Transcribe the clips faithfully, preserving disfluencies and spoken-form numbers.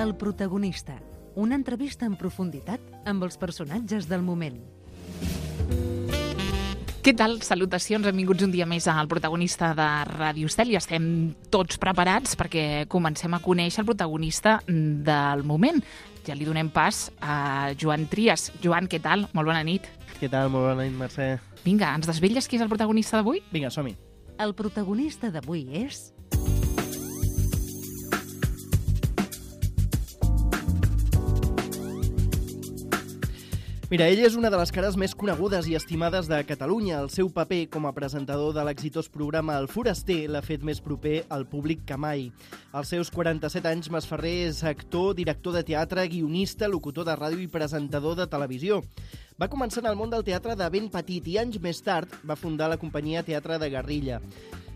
El protagonista. Una entrevista en profunditat amb els personatges del moment. Què tal? Salutacions, benvinguts un dia més al protagonista de Ràdio Estel i estem tots preparats perquè comencem a conèixer el protagonista del moment. Ja li donem pas a Joan Trias. Joan, què tal? Molt bona nit. Què tal? Molt bona nit, Mercè. Vinga, ens desvelles qui és el protagonista d'avui? Vinga, som-hi. El protagonista d'avui és... Mira, ell és una de les cares més conegudes i estimades de Catalunya. El seu paper com a presentador de l'exitós programa El Foraster l'ha fet més proper al públic que mai. Als seus quaranta-set anys, Masferrer és actor, director de teatre, guionista, locutor de ràdio i presentador de televisió. Va començar en el món del teatre de ben petit i anys més tard va fundar la companyia Teatre de Guerrilla.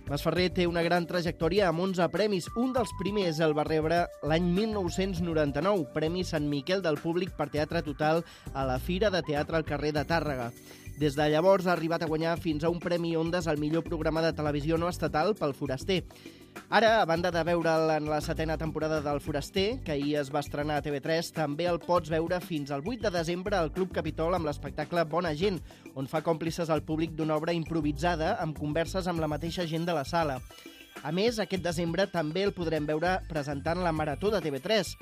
Masferrer té una gran trajectòria amb onze premis. Un dels primers el va rebre l'any mil nou-cents noranta-nou, Premi Sant Miquel del Públic per Teatre Total a la Fira de Teatre al carrer de Tàrrega. Des de llavors ha arribat a guanyar fins a un Premi Ondas al millor programa de televisió no estatal pel Foraster. Ara, a banda de veure'l en la setena temporada del Foraster, que ahir es va estrenar a T V tres, també el pots veure fins al vuit de desembre al Club Capitol amb l'espectacle Bona Gent, on fa còmplices al públic d'una obra improvisada amb converses amb la mateixa gent de la sala. A més, aquest desembre també el podrem veure presentant la Marató de T V tres.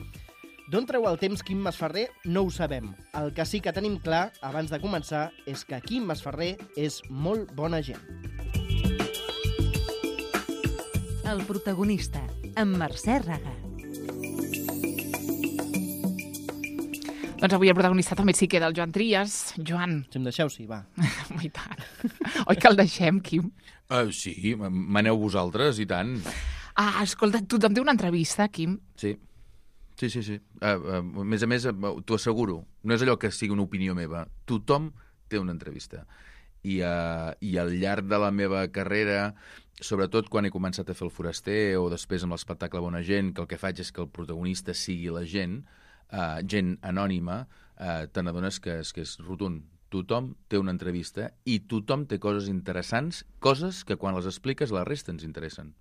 D'on treu el temps Quim Masferrer? No ho sabem. El que sí que tenim clar, abans de començar, és que Quim Masferrer és molt bona gent. El protagonista, amb Mercè Raga. Doncs avui el protagonista també sí que era el Joan Trias. Joan. Si em deixeu, sí, va. I tant. Oi que el deixem, Quim? Uh, sí, maneu vosaltres, i tant. Ah, escolta, tothom té una entrevista, Quim. Sí, sí, sí. sí. Uh, uh, a més a més, uh, t'ho asseguro, no és allò que sigui una opinió meva. Tothom té una entrevista. I, uh, i al llarg de la meva carrera, sobretot quan he començat a fer el Foraster o després amb l'espectacle Bona Gent, que el que faig és que el protagonista sigui la gent, uh, gent anònima, uh, te n'adones que és, que és rotund. Tothom té una entrevista i tothom té coses interessants, coses que quan les expliques la resta ens interessen.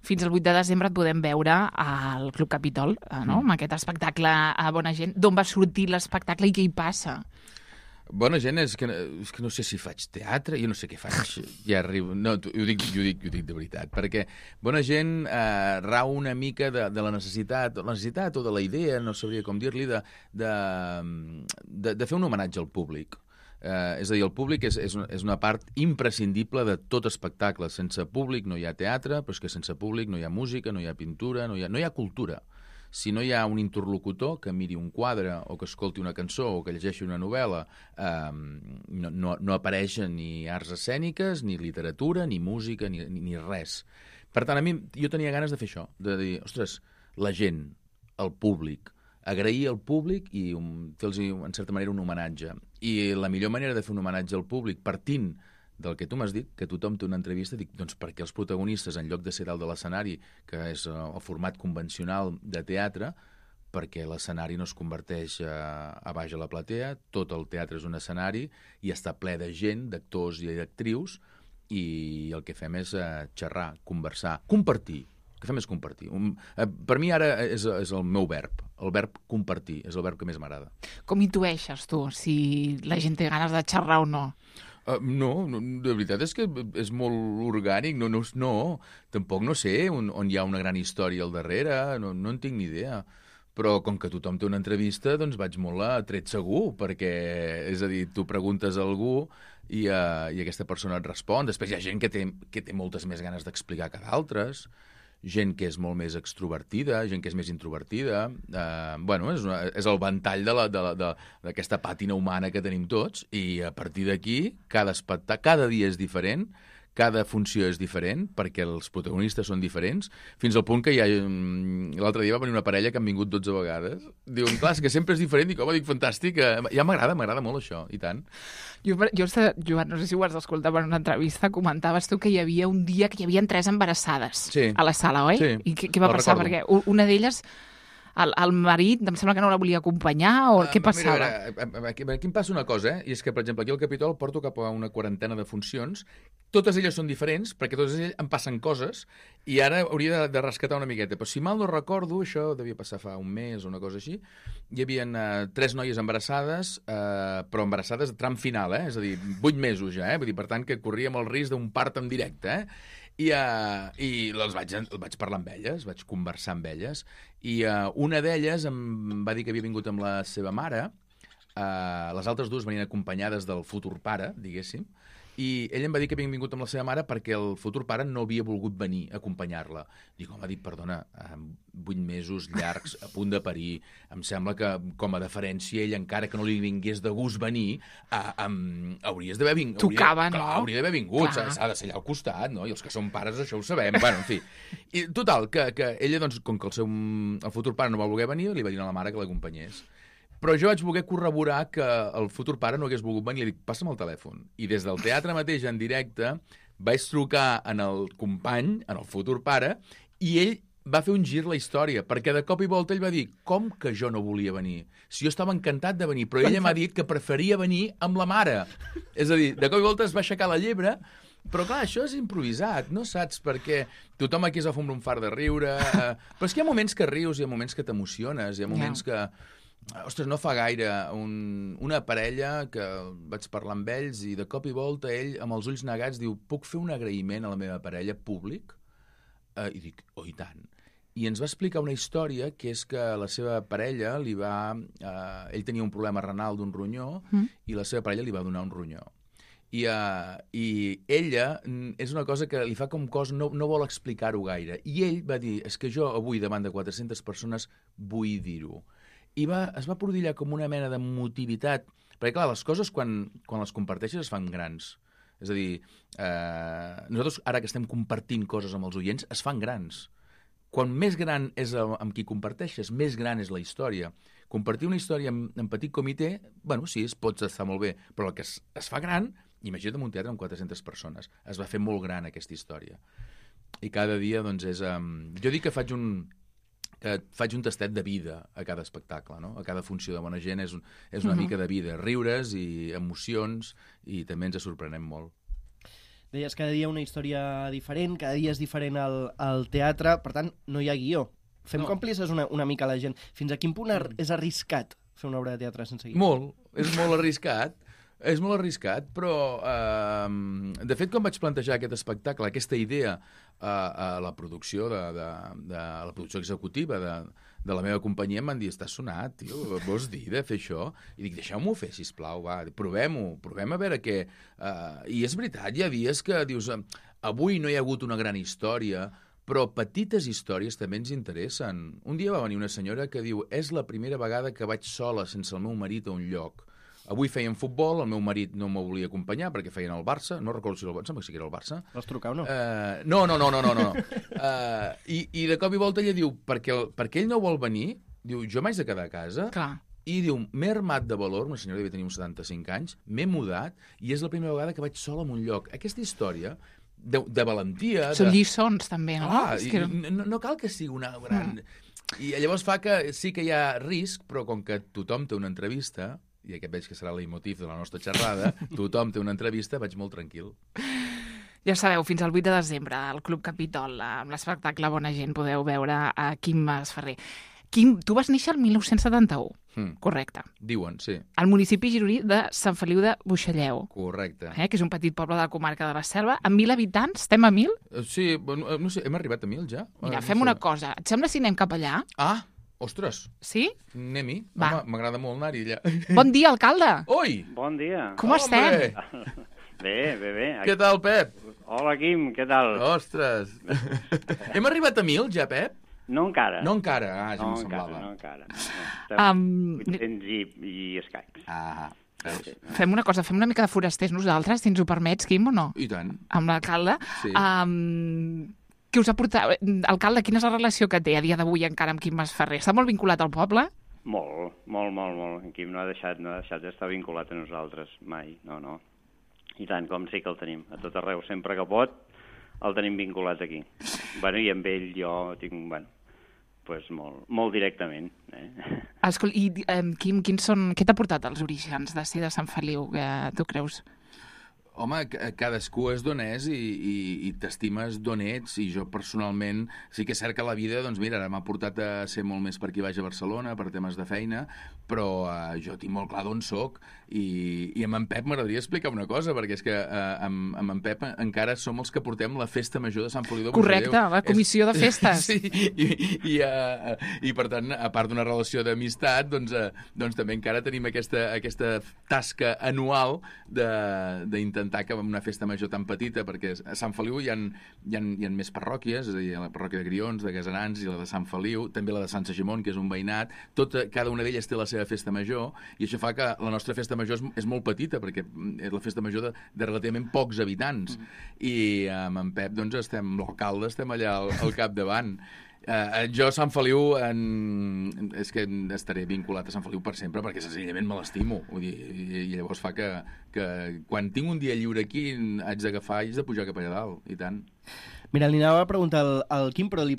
Fins al vuit de desembre et podem veure al Club Capitol, no? Mm. Amb aquest espectacle a Bona Gent. D'on va sortir l'espectacle i què hi passa? Bona Gent és que, és que no sé si faig teatre, jo no sé què faig, ja arribo... No, ho dic, ho dic, ho dic de veritat, perquè Bona Gent eh, rau una mica de, de la necessitat, la necessitat o de la idea, no sabria com dir-li, de, de, de, de fer un homenatge al públic. Eh, és a dir, el públic és, és, una, és una part imprescindible de tot espectacle. Sense públic no hi ha teatre, però és que sense públic no hi ha música, no hi ha pintura, no hi ha, no hi ha cultura. Si no hi ha un interlocutor que miri un quadre o que escolti una cançó o que llegeixi una novel·la, eh, no, no, no apareix ni arts escèniques, ni literatura, ni música, ni, ni, ni res. Per tant, a mi, jo tenia ganes de fer això, de dir, ostres, la gent, el públic, agrair al públic i um, fer-los, en certa manera, un homenatge. I la millor manera de fer un homenatge al públic, partint del que tu m'has dit, que tothom té una entrevista, dic, doncs perquè els protagonistes, en lloc de ser dalt de l'escenari, que és el format convencional de teatre, perquè l'escenari no es converteix a, a baix a la platea, tot el teatre és un escenari i està ple de gent, d'actors i d'actrius, i el que fem és uh, xerrar, conversar, compartir. El que fem és compartir. Un, uh, per mi ara és, és el meu verb, el verb compartir, és el verb que més m'agrada. Com intueixes tu, si la gent té ganes de xerrar o no? Uh, no, no, de veritat és que és molt orgànic, no, no, no tampoc no sé on, on hi ha una gran història al darrere, no, no en tinc ni idea, però com que tothom té una entrevista, doncs vaig molt a tret segur, perquè, és a dir, tu preguntes a algú i, uh, i aquesta persona et respon, després hi ha gent que té, que té moltes més ganes d'explicar que d'altres, gent que és molt més extrovertida, gent que és més introvertida. Eh, bueno, és, una, és el ventall de la, de la, de, d'aquesta pàtina humana que tenim tots i a partir d'aquí cada espectacle, cada dia és diferent, cada funció és diferent perquè els protagonistes són diferents, fins al punt que hi ha... L'altre dia va venir una parella que han vingut dotze vegades. Diuen, clar, és que sempre és diferent. Dic, home, dic, fantàstic. Ja m'agrada, m'agrada molt això, i tant. Jo, jo, Joan, no sé si ho has d'escoltar en una entrevista, comentaves tu que hi havia un dia que hi havia tres embarassades sí. a la sala, oi? Sí. I què, què va passar? Perquè una d'elles el, el marit, em sembla que no la volia acompanyar, o Ah, què mira, passava? a veure, aquí, aquí em passa una cosa, eh? I és que, per exemple, aquí al Capitol porto cap a una quarantena de funcions. Totes elles són diferents, perquè totes elles em passen coses, i ara hauria de, de rescatar una miqueta. Però si mal no recordo, això devia passar fa un mes o una cosa així, hi havia uh, tres noies embarassades, uh, però embarassades de tram final, eh? És a dir, vuit mesos ja, eh? Vull dir, per tant, que corríem el risc d'un part en directe, eh? I, uh, i les vaig, vaig parlar amb elles, vaig conversar amb elles, i uh, una d'elles em va dir que havia vingut amb la seva mare, uh, les altres dues venien acompanyades del futur pare, diguéssim, i ell em va dir que havia vingut amb la seva mare perquè el futur pare no havia volgut venir a acompanyar-la. Dic, home, dic, perdona, vuit mesos llargs, a punt de parir, em sembla que, com a deferència, ell, encara que no li vingués de gust venir, uh, um, hauries d'haver vingut. Tocava, no? Clar, hauria d'haver vingut, Clar. s'ha de ser allà al costat, no? I els que són pares això ho sabem, bueno, en fi. I total, que, que ella, doncs, com que el seu el futur pare no va voler venir, li va dir a la mare que l'acompanyés. Però jo vaig voler corroborar que el futur pare no hagués volgut venir i li dic, passa'm el telèfon. I des del teatre mateix, en directe, vaig trucar en el company, en el futur pare, i ell va fer un gir la història, perquè de cop i volta ell va dir, com que jo no volia venir? Si jo estava encantat de venir, però ella m'ha dit que preferia venir amb la mare. És a dir, de cop i volta es va aixecar la llebre, però clar, això és improvisat, no saps? Perquè tothom aquí es va fondre un fart de riure, eh, però és que hi ha moments que rius, hi ha moments que t'emociones, hi ha moments que... Ostres, no fa gaire, un, una parella que vaig parlar amb ells i de cop i volta ell, amb els ulls negats, diu, puc fer un agraïment a la meva parella públic? Uh, I dic, oh, i tant. I ens va explicar una història que és que la seva parella li va... Uh, ell tenia un problema renal d'un ronyó mm. i la seva parella li va donar un ronyó. I, uh, i ella és una cosa que li fa com cos, no, no vol explicar-ho gaire. I ell va dir, és que jo avui davant de quatre-centes persones vull dir-ho. I va, es va prodillar com una mena de motivitat, perquè clar, les coses quan, quan les comparteixes es fan grans. És a dir, eh, nosaltres ara que estem compartint coses amb els oients, es fan grans. Quan més gran és el, amb qui comparteixes, més gran és la història. Compartir una història en, en petit comitè, bueno, sí, es pot estar molt bé, però el que es, es fa gran, imagina't un teatre amb quatre-centes persones, es va fer molt gran aquesta història. I cada dia, doncs, és... Um, jo dic que faig un... que faig un tastet de vida a cada espectacle, no? A cada funció de Bona Gent és, un, és una uh-huh. mica de vida, riures i emocions, i també ens sorprenem molt. Deies cada dia una història diferent, cada dia és diferent al, al teatre, per tant, no hi ha guió. Fem no. còmplices una, una mica a la gent. Fins a quin punt mm. és arriscat fer una obra de teatre sense guió? Molt, és molt arriscat. És molt arriscat, però eh, de fet, quan vaig plantejar aquest espectacle, aquesta idea eh, a la producció de, de, de la producció executiva de, de la meva companyia, em van dir, estàs sonat, tio, vols dir de fer això? I dic, deixeu-m'ho fer, sisplau, va, provem-ho, provem a veure què... Eh, I és veritat, hi ha dies que dius, avui no hi ha hagut una gran història, però petites històries també ens interessen. Un dia va venir una senyora que diu, és la primera vegada que vaig sola sense el meu marit a un lloc. Avui feien futbol, el meu marit no m'ho volia acompanyar perquè feien el Barça, no recordo si era el Barça, si era el Barça. Vas trucar o no? Uh, no, no, no, no, no. no. uh, i, I de cop i volta ella diu, perquè, perquè ell no vol venir, diu, jo m'haig de quedar a casa, Clar. I diu, m'he armat de valor, una senyora devia tenir uns setanta-cinc anys, m'he mudat i és la primera vegada que vaig sola en un lloc. Aquesta història de, de valentia... Són de... lliçons, també, no? Ah, és que... no, no cal que sigui una gran... Mm. I llavors fa que sí que hi ha risc, però com que tothom té una entrevista... i aquest veig que serà el leitmotiv de la nostra xerrada, tothom té una entrevista, vaig molt tranquil. Ja sabeu, fins al vuit de desembre, al Club Capitol, amb l'espectacle Bona Gent, podeu veure a Quim Masferrer. Quim, tu vas néixer el mil nou-cents setanta-u, hmm. correcte. Diuen, sí. Al municipi gironí de Sant Feliu de Buixalleu. Correcte. Eh, que és un petit poble de la comarca de la Selva. Amb mil habitants, estem a mil? Sí, no, no sé, hem arribat a mil ja? Mira, no fem sé. una cosa. Et sembla si anem cap allà? Ah, ostres. Sí? Anem-hi. Va. Home, m'agrada molt anar-hi allà. Bon dia, alcalde. Oi! Bon dia. Com Hombre. estem? Bé, bé, bé. Què tal, Pep? Hola, Quim, què tal? Ostres. Hem arribat a mil ja, Pep? No encara. No encara, ah, ja no m'ho semblava. No encara, no encara. Um, vuit-cents i, i escacs. Ah, veus? Fem una cosa, fem una mica de forasters nosaltres, si ens ho permets, Quim, o no? I tant. Amb l'alcalde. Sí. Um, què us ha portat? Alcalde, quina és la relació que té a dia d'avui encara amb Quim Masferrer? Està molt vinculat al poble? Molt, molt, molt, molt. En Quim no ha deixat, no ha deixat d'estar vinculat a nosaltres, mai, no, no. I tant, com sí que el tenim, a tot arreu, sempre que pot, el tenim vinculat aquí. Bueno, i amb ell jo tinc, bueno, pues, molt, molt directament. Eh? Escol, I, um, Quim, quins són, què t'ha portat als orígens de ser de Sant Feliu, que tu creus? Home, cadascú és d'on és i, i, i t'estimes d'on ets, i jo personalment sí que és cert que la vida, doncs mira, ara m'ha portat a ser molt més per aquí baix a Barcelona, per temes de feina, però uh, jo tinc molt clar d'on soc, i, i amb en Pep m'agradaria explicar una cosa, perquè és que uh, amb, amb en Pep encara som els que portem la festa major de Sant Feliu de Buixalleu. Correcte, la comissió és... de festes. Sí, i, i, uh, i per tant, a part d'una relació d'amistat, doncs, uh, doncs també encara tenim aquesta, aquesta tasca anual d'intentar que amb una festa major tan petita, perquè a Sant Feliu hi ha, hi ha, hi ha més parròquies, és a dir, la parròquia de Grions, de Gaserans i la de Sant Feliu, també la de Sant Segimon, que és un veïnat, tota, cada una d'elles té la seva festa major, i això fa que la nostra festa major és, és molt petita, perquè és la festa major de, de relativament pocs habitants, mm. i amb en Pep, doncs, estem, l'alcalde, estem allà al, al capdavant. Uh, jo a Sant Feliu en... és que estaré vinculat a Sant Feliu per sempre perquè senzillament me l'estimo, i, i llavors fa que, que quan tinc un dia lliure aquí haig d'agafar i haig de pujar cap allà dalt, i tant. Mira, li anava a preguntar al, al Quim, però li,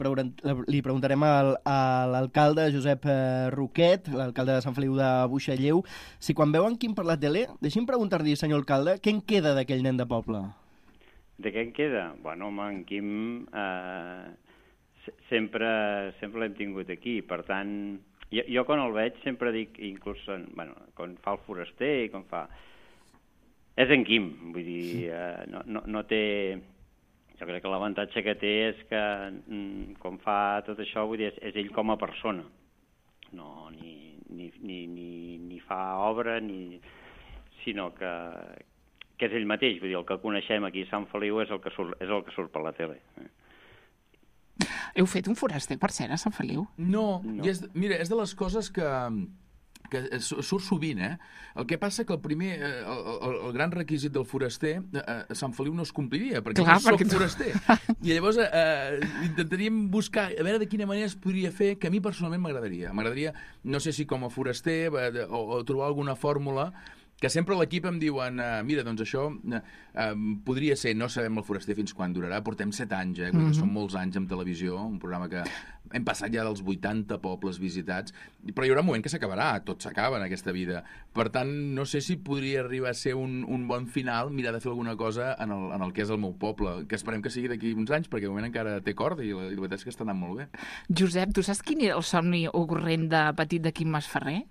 li preguntarem al, a l'alcalde Josep Roquet, l'alcalde de Sant Feliu de Buixalleu, si quan veu en Quim per la tele, deixi'm preguntar-li, senyor alcalde, què en queda d'aquell nen de poble? De què en queda? Bueno, home, en Quim... Eh... sempre, sempre l'hem tingut aquí, per tant, jo, jo quan el veig sempre dic, inclús en, bueno, quan fa el foraster i quan fa... És en Quim, vull dir, eh, no, no, no té... Jo crec que l'avantatge que té és que mm, quan fa tot això, vull dir, és, és ell com a persona, no, ni, ni, ni, ni, ni fa obra, ni... sinó que, que és ell mateix, vull dir, el que coneixem aquí a Sant Feliu és el que surt, és el que surt per la tele. Eh? Heu fet un foraster, per cert, a Sant Feliu? No, no. I és, mira, és de les coses que, que surt sovint, eh? El que passa que el primer, el, el, el gran requisit del foraster a Sant Feliu no es compliria, perquè Clar, no soc perquè tu... foraster. I llavors eh, intentaríem buscar, a veure de quina manera es podria fer, que a mi personalment m'agradaria. M'agradaria, no sé si com a foraster, eh, o, o trobar alguna fórmula que sempre l'equip em diuen, uh, mira, doncs això uh, um, podria ser, no sabem el foraster fins quan durarà, portem set anys, eh, mm-hmm. són molts anys en televisió, un programa que hem passat ja dels vuitanta pobles visitats, però hi haurà un moment que s'acabarà, tot s'acaba en aquesta vida. Per tant, no sé si podria arribar a ser un, un bon final, mirar de fer alguna cosa en el, en el que és el meu poble, que esperem que sigui d'aquí uns anys, perquè de moment encara té corda i la, i la veritat és que està anant molt bé. Josep, tu saps quin era el somni ocorrent de petit de Quim Masferrer?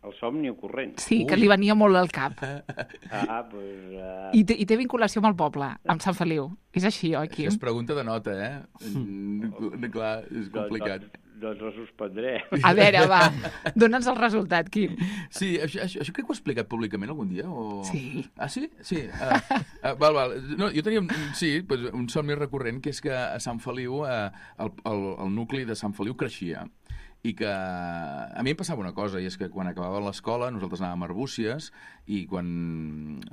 El somni ocorrent. Sí, Ui. que li venia molt al cap. Ah, pues, uh... I, té, I té vinculació amb el poble, amb Sant Feliu. És així, oi, Quim? Això és pregunta de nota, eh? Mm, clar, és complicat. Doncs, doncs la suspendré. A veure, va, dona'ns el resultat, Quim. Sí, això, això, això crec que ho he explicat públicament algun dia? O... Sí. Ah, sí? Sí. Uh, uh, val, val. No, jo tenia, sí, pues, un somni recurrent, que és que a Sant Feliu, uh, el, el, el nucli de Sant Feliu creixia. I que a mi em passava una cosa, i és que quan acabava l'escola nosaltres anàvem a Arbúcies, i quan,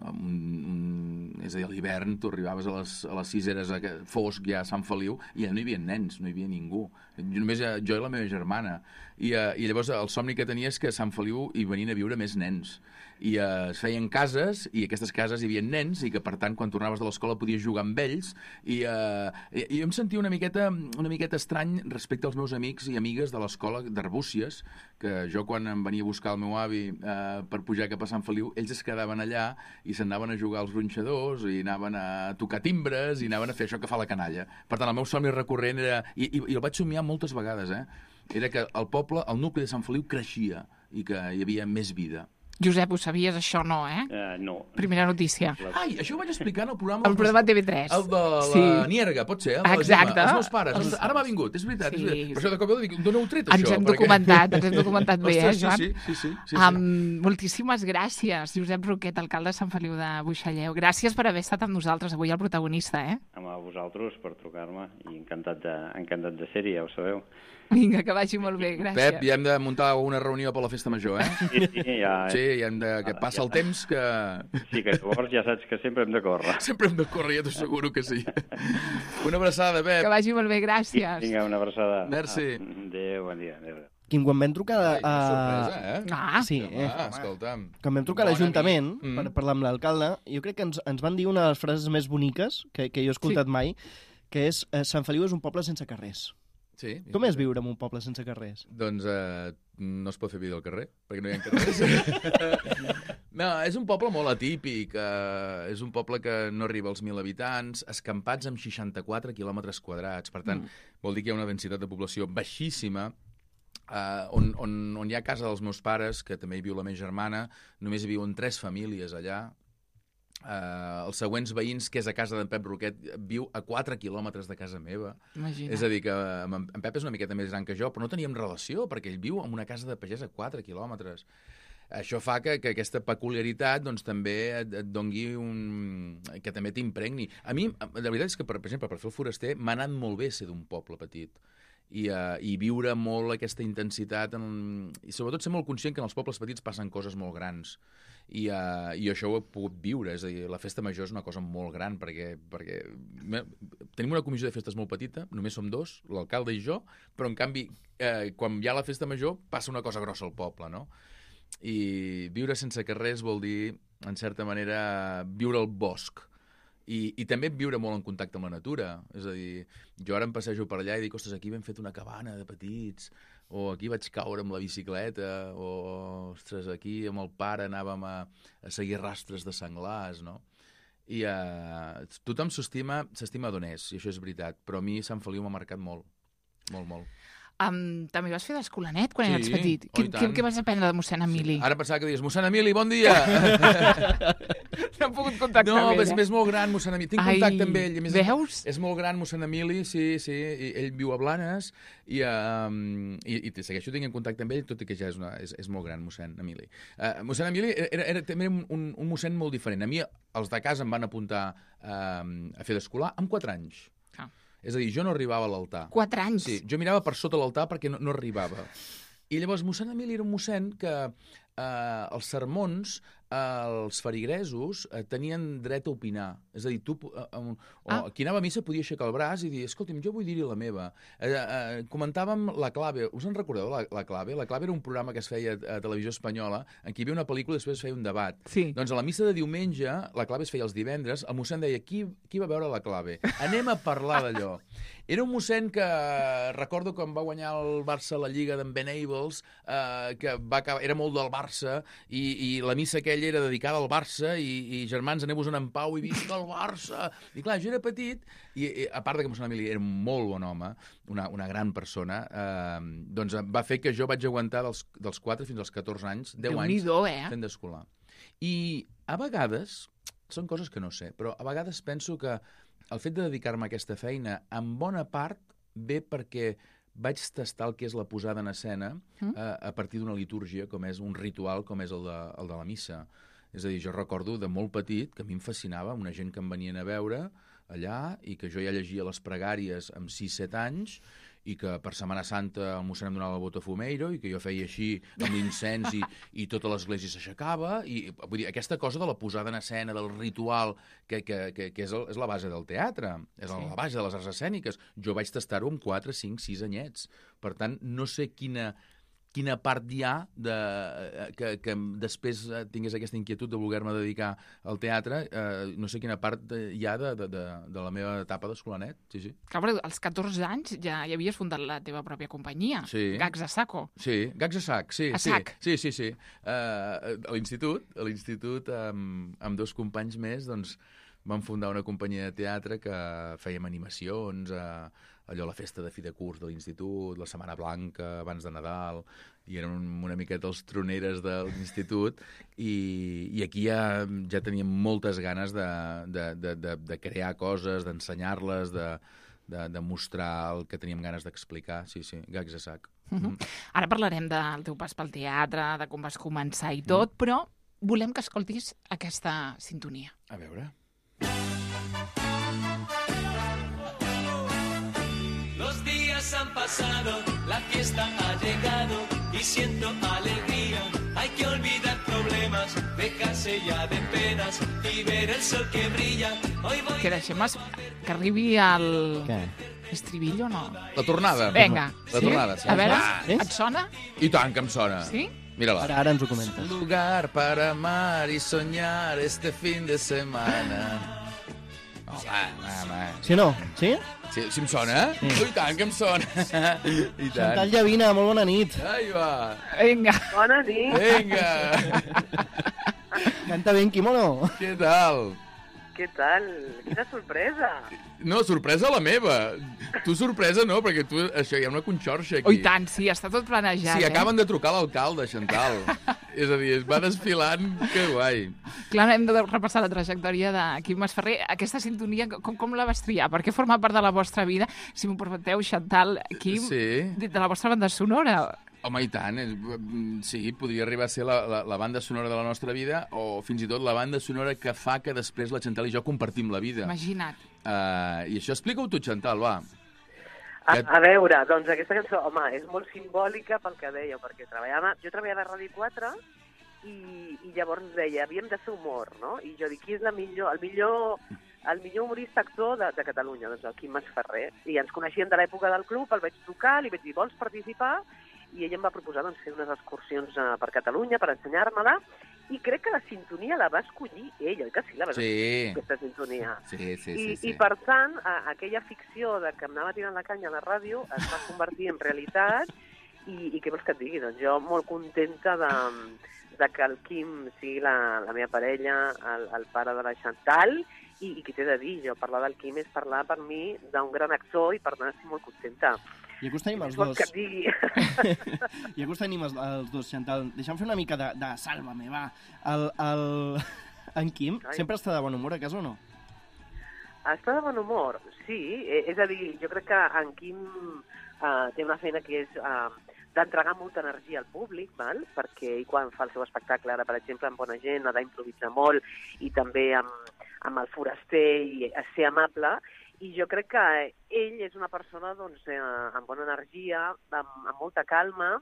un, un, és a dir, a l'hivern, tu arribaves a les, a les sis eres fosc ja a Sant Feliu, i ja no hi havia nens, no hi havia ningú. Només jo i la meva germana. I, uh, i llavors el somni que tenia és que a Sant Feliu hi venien a viure més nens. I uh, es feien cases, i aquestes cases hi havia nens, i que per tant quan tornaves de l'escola podies jugar amb ells, i, uh, i, i jo em sentia una miqueta, una miqueta estrany respecte als meus amics i amigues de l'escola d'Arbúcies, que jo quan em venia a buscar el meu avi uh, per pujar cap a Sant Feliu, ells es quedaven allà i s'anaven a jugar als gronxadors, i anaven a tocar timbres, i anaven a fer això que fa la canalla. Per tant, el meu somni recurrent era, i, i, i el vaig somiar moltes vegades, eh? Era que el poble, el nucli de Sant Feliu creixia i que hi havia més vida. Josep, ho sabies, això no, eh? Uh, no. Primera notícia. Ai, això ho vaig explicar en el programa... El programa T V tres. El de la sí. Nierga, pot ser? El de Exacte. La Gemma, els meus pares. Els... Ara m'ha vingut, és veritat. Sí. És veritat. Per això de cop dic, d'on heu tret, ens això? Ens hem perquè... documentat, ens hem documentat bé, Ostres, eh, Joan? Sí, sí, sí. sí, sí. Um, moltíssimes gràcies, Josep Roquet, alcalde de Sant Feliu de Buixalleu. Gràcies per haver estat amb nosaltres avui, el protagonista, eh? A vosaltres per trucar-me, i encantat de, encantat de ser-hi, ja ho sabeu. Vinga, que vagi molt bé, gràcies. Pep, ja hem de muntar una reunió per la festa major, eh? Sí, sí, ja... Sí, ja hem de... que passa el temps que... Sí, que llavors ja saps que sempre hem de córrer. Sempre hem de córrer, ja t'ho asseguro que sí. Una abraçada, Pep. Que vagi molt bé, gràcies. Vinga, una abraçada. Merci. Adéu, bon dia. Adéu. Quim, quan vam trucar... Ai, a... sorpresa, eh? Ah, sí, eh? Ah, escolta'm. Quan vam trucar a l'Ajuntament Mm. per parlar amb l'alcalde, jo crec que ens, ens van dir una de les frases més boniques que, que jo he escoltat Sí. mai, que és eh, Sant Feliu és un poble sense carrers. Sí. Com és viure en un poble sense carrers? Doncs eh, no es pot fer vida al carrer, perquè no hi ha carrers. No, és un poble molt atípic. Eh, és un poble que no arriba als mil habitants, escampats amb seixanta-quatre quilòmetres quadrats. Per tant, mm. vol dir que hi ha una densitat de població baixíssima, eh, on, on, on hi ha casa dels meus pares, que també hi viu la meva germana, només hi viuen tres famílies allà. Uh, els següents veïns, que és a casa d'en Pep Roquet, viu a quatre quilòmetres de casa meva. Imagina. És a dir, que en, en Pep és una miqueta més gran que jo, però no teníem relació, perquè ell viu en una casa de pagès a quatre quilòmetres. Això fa que, que aquesta peculiaritat doncs, també et, et dongui un... que també t'impregni. A mi, la veritat és que, per, per exemple, per fer el foraster, m'ha anat molt bé ser d'un poble petit. I, uh, i viure molt aquesta intensitat en... i sobretot ser molt conscient que en els pobles petits passen coses molt grans. I, uh, i això ho he pogut viure, és a dir, la festa major és una cosa molt gran, perquè, perquè tenim una comissió de festes molt petita, només som dos, l'alcalde i jo, però en canvi, eh, quan hi ha la festa major, passa una cosa grossa al poble, no? I viure sense carrers vol dir, en certa manera, viure al bosc. I, i també viure molt en contacte amb la natura. És a dir, jo ara em passejo per allà i dic, ostres, aquí vam fet una cabana de petits, o aquí vaig caure amb la bicicleta, o, ostres, aquí amb el pare anàvem a, a seguir rastres de senglars, no? I uh, tothom s'estima s'estima d'on és, i això és veritat, però a mi Sant Feliu m'ha marcat molt, molt, molt. Um, també vas fer d'escolanet quan Sí, eres petit. oh, Què, i què, tant. què vas aprendre de mossèn Emili? Sí. Ara pensava que dius, mossèn Emili, bon dia! No he pogut contactar No, amb ell, és, eh? és molt gran, mossèn Emili. Tinc Ai, contacte amb ell. A més, veus? És molt gran, mossèn Emili, sí, sí. I ell viu a Blanes i, um, i, i segueixo tenint contacte amb ell, tot i que ja és, una, és, és molt gran, mossèn Emili. Uh, mossèn Emili era, era també un, un, un mossèn molt diferent. A mi, els de casa em van apuntar um, a fer d'escolar amb quatre anys. Ah. És a dir, jo no arribava a l'altar. Quatre anys? Sí, jo mirava per sota l'altar perquè no, no arribava. I llavors mossèn Emili era un mossèn que eh, els sermons, eh, els feligresos, eh, tenien dret a opinar. És a dir, tu, eh, o, Ah. qui anava a missa podia aixecar el braç i dir, escolti'm, jo vull dir-hi la meva. Eh, eh, comentàvem La Clave. Us en recordeu, la, la Clave? La Clave era un programa que es feia a, a Televisió Espanyola, en què hi havia una pel·lícula i després es feia un debat. Sí. Doncs a la missa de diumenge, La Clave es feia els divendres, el mossèn deia, qui, qui va veure La Clave? Anem a parlar d'allò. Era un mossèn que recordo quan va guanyar el Barça la Lliga d'en Ben Ables, eh, que va acabar, era molt del Barça, i, i la missa aquella era dedicada al Barça, i, i germans, aneu-vos-en en pau i visca el Barça. I clar, jo era petit, i, i a part de que mossèn Emili era un molt bon home, una, una gran persona, eh, doncs va fer que jo vaig aguantar dels, dels quatre fins als catorze anys, deu anys, Déu-n'hi-do, eh? fent d'escolar. I a vegades, són coses que no sé, però a vegades penso que el fet de dedicar-me a aquesta feina, en bona part, ve perquè vaig tastar el que és la posada en escena Mm. a, a partir d'una litúrgia, com és un ritual, com és el de, el de la missa. És a dir, jo recordo de molt petit que a mi em fascinava una gent que em venien a veure allà i que jo ja llegia les pregàries amb sis set anys i que per Setmana Santa el mossèn em donava el botafumeiro i que jo feia així amb l'incens i, i tota l'església s'aixecava. I vull dir, aquesta cosa de la posada en escena, del ritual, que, que, que, que és, el, és la base del teatre, és Sí. la base de les arts escèniques. Jo vaig tastar-ho amb quatre, cinc, sis anyets. Per tant, no sé quina... quina part hi ha de, que, que després tingués aquesta inquietud de voler-me dedicar al teatre, eh, no sé quina part hi ha de, de, de, de la meva etapa d'escolanet, sí, sí. Clar, però als catorze anys ja, ja havies fundat la teva pròpia companyia, Sí. Gags a Saco. Sí, Gags a Sac, sí. A sí, sac. Sí, sí, sí. Uh, a l'institut, a l'institut amb, amb dos companys més, doncs, vam fundar una companyia de teatre que fèiem animacions, eh, allò, la festa de fi de curs de l'institut, la Setmana Blanca, abans de Nadal, i eren una miqueta els troneres de l'institut, i, i aquí ja, ja teníem moltes ganes de, de, de, de, de crear coses, d'ensenyar-les, de, de, de mostrar el que teníem ganes d'explicar. Sí, sí, Gags a Sac. Uh -huh. Mm. Ara parlarem del teu pas pel teatre, de com vas començar i tot, mm. però volem que escoltis aquesta sintonia. A veure... Los días han pasado, la fiesta ha llegado y siento alegría. Hay que olvidar problemas, dejarse ya de penas y ver el sol que brilla. Hoy voy Que deixem es... que arribi al... Què? estribillo o no? La tornada. Vinga. La sí? tornada, sí. A veure, Ah, és? et sona? I tant que em sona. Sí? Mira-la. Ara, ara ens ho comentes. Lugar para amar y soñar este fin de semana. Oh, va, va, va. Sí o no? Sí? Sí, si em sona? Sí. Oh, i tant que em sona. I tant. Chantal Llavina, molt bona nit. Ai, va. Vinga. Bona nit. Vinga. Canta ben, Quimono. Què tal? Què tal? Quina sorpresa. No, sorpresa la meva. Tu sorpresa no, perquè tu, això, hi ha una conxorxa aquí. Oh, i tant, sí, està tot planejat, Sí, eh? acaben de trucar l'alcalde, Chantal. És a dir, es va desfilant, que guai. Clar, hem de repassar la trajectòria de Quim Masferrer. Aquesta sintonia, com, com la vas triar? Per què forma part de la vostra vida? Si m'ho permeteu, Chantal, Quim, Sí. de la vostra banda sonora. Home, i tant. és- Sí, podria arribar a ser la, la, la banda sonora de la nostra vida o fins i tot la banda sonora que fa que després la Chantal i jo compartim la vida. Imagina't. Uh, I això explica-ho tu, Chantal, va. A, Que- a veure, doncs aquesta cançó, home, és molt simbòlica pel que dèieu, perquè treballava, jo treballava a Ràdio quatre i, i llavors deia, havíem de fer humor, no? I jo dic, qui és la millor, el millor, el millor humorista actor de, de Catalunya? Doncs el Quim Masferrer. I ens coneixíem de l'època del club, el vaig trucar, li vaig dir, vols participar? I ell em va proposar doncs, fer unes excursions uh, per Catalunya per ensenyar-me-la, i crec que la sintonia la va escollir ell, oi que sí? La va Sí. escollir, aquesta sintonia. Sí, sí, I, sí. sí. I, per tant, a, aquella ficció de que em anava tirant la canya a la ràdio es va convertir en realitat i, i què vols que et digui? Doncs jo molt contenta de, de que el Quim sigui la, la meva parella, el, el pare de la Chantal, i, i què t'he de dir? Jo parlar del Quim és parlar per mi d'un gran actor i per tant estic molt contenta. I aquí us tenim els Què vols dos. que et digui? I aquí us tenim els, els dos, Chantal. Deixa'm fer una mica de, de sàlvame, va. El, el... En Quim Ai. sempre està de bon humor, a casa o no? Està de bon humor, sí. Eh, És a dir, jo crec que en Quim uh, té una feina que és uh, d'entregar molta energia al públic, val? Perquè ell quan fa el seu espectacle, ara per exemple amb Bona Gent, ha d'improvisar molt, i també amb, amb el Foraster i a ser amable, i jo crec que ell és una persona doncs, eh, amb bona energia, amb, amb molta calma,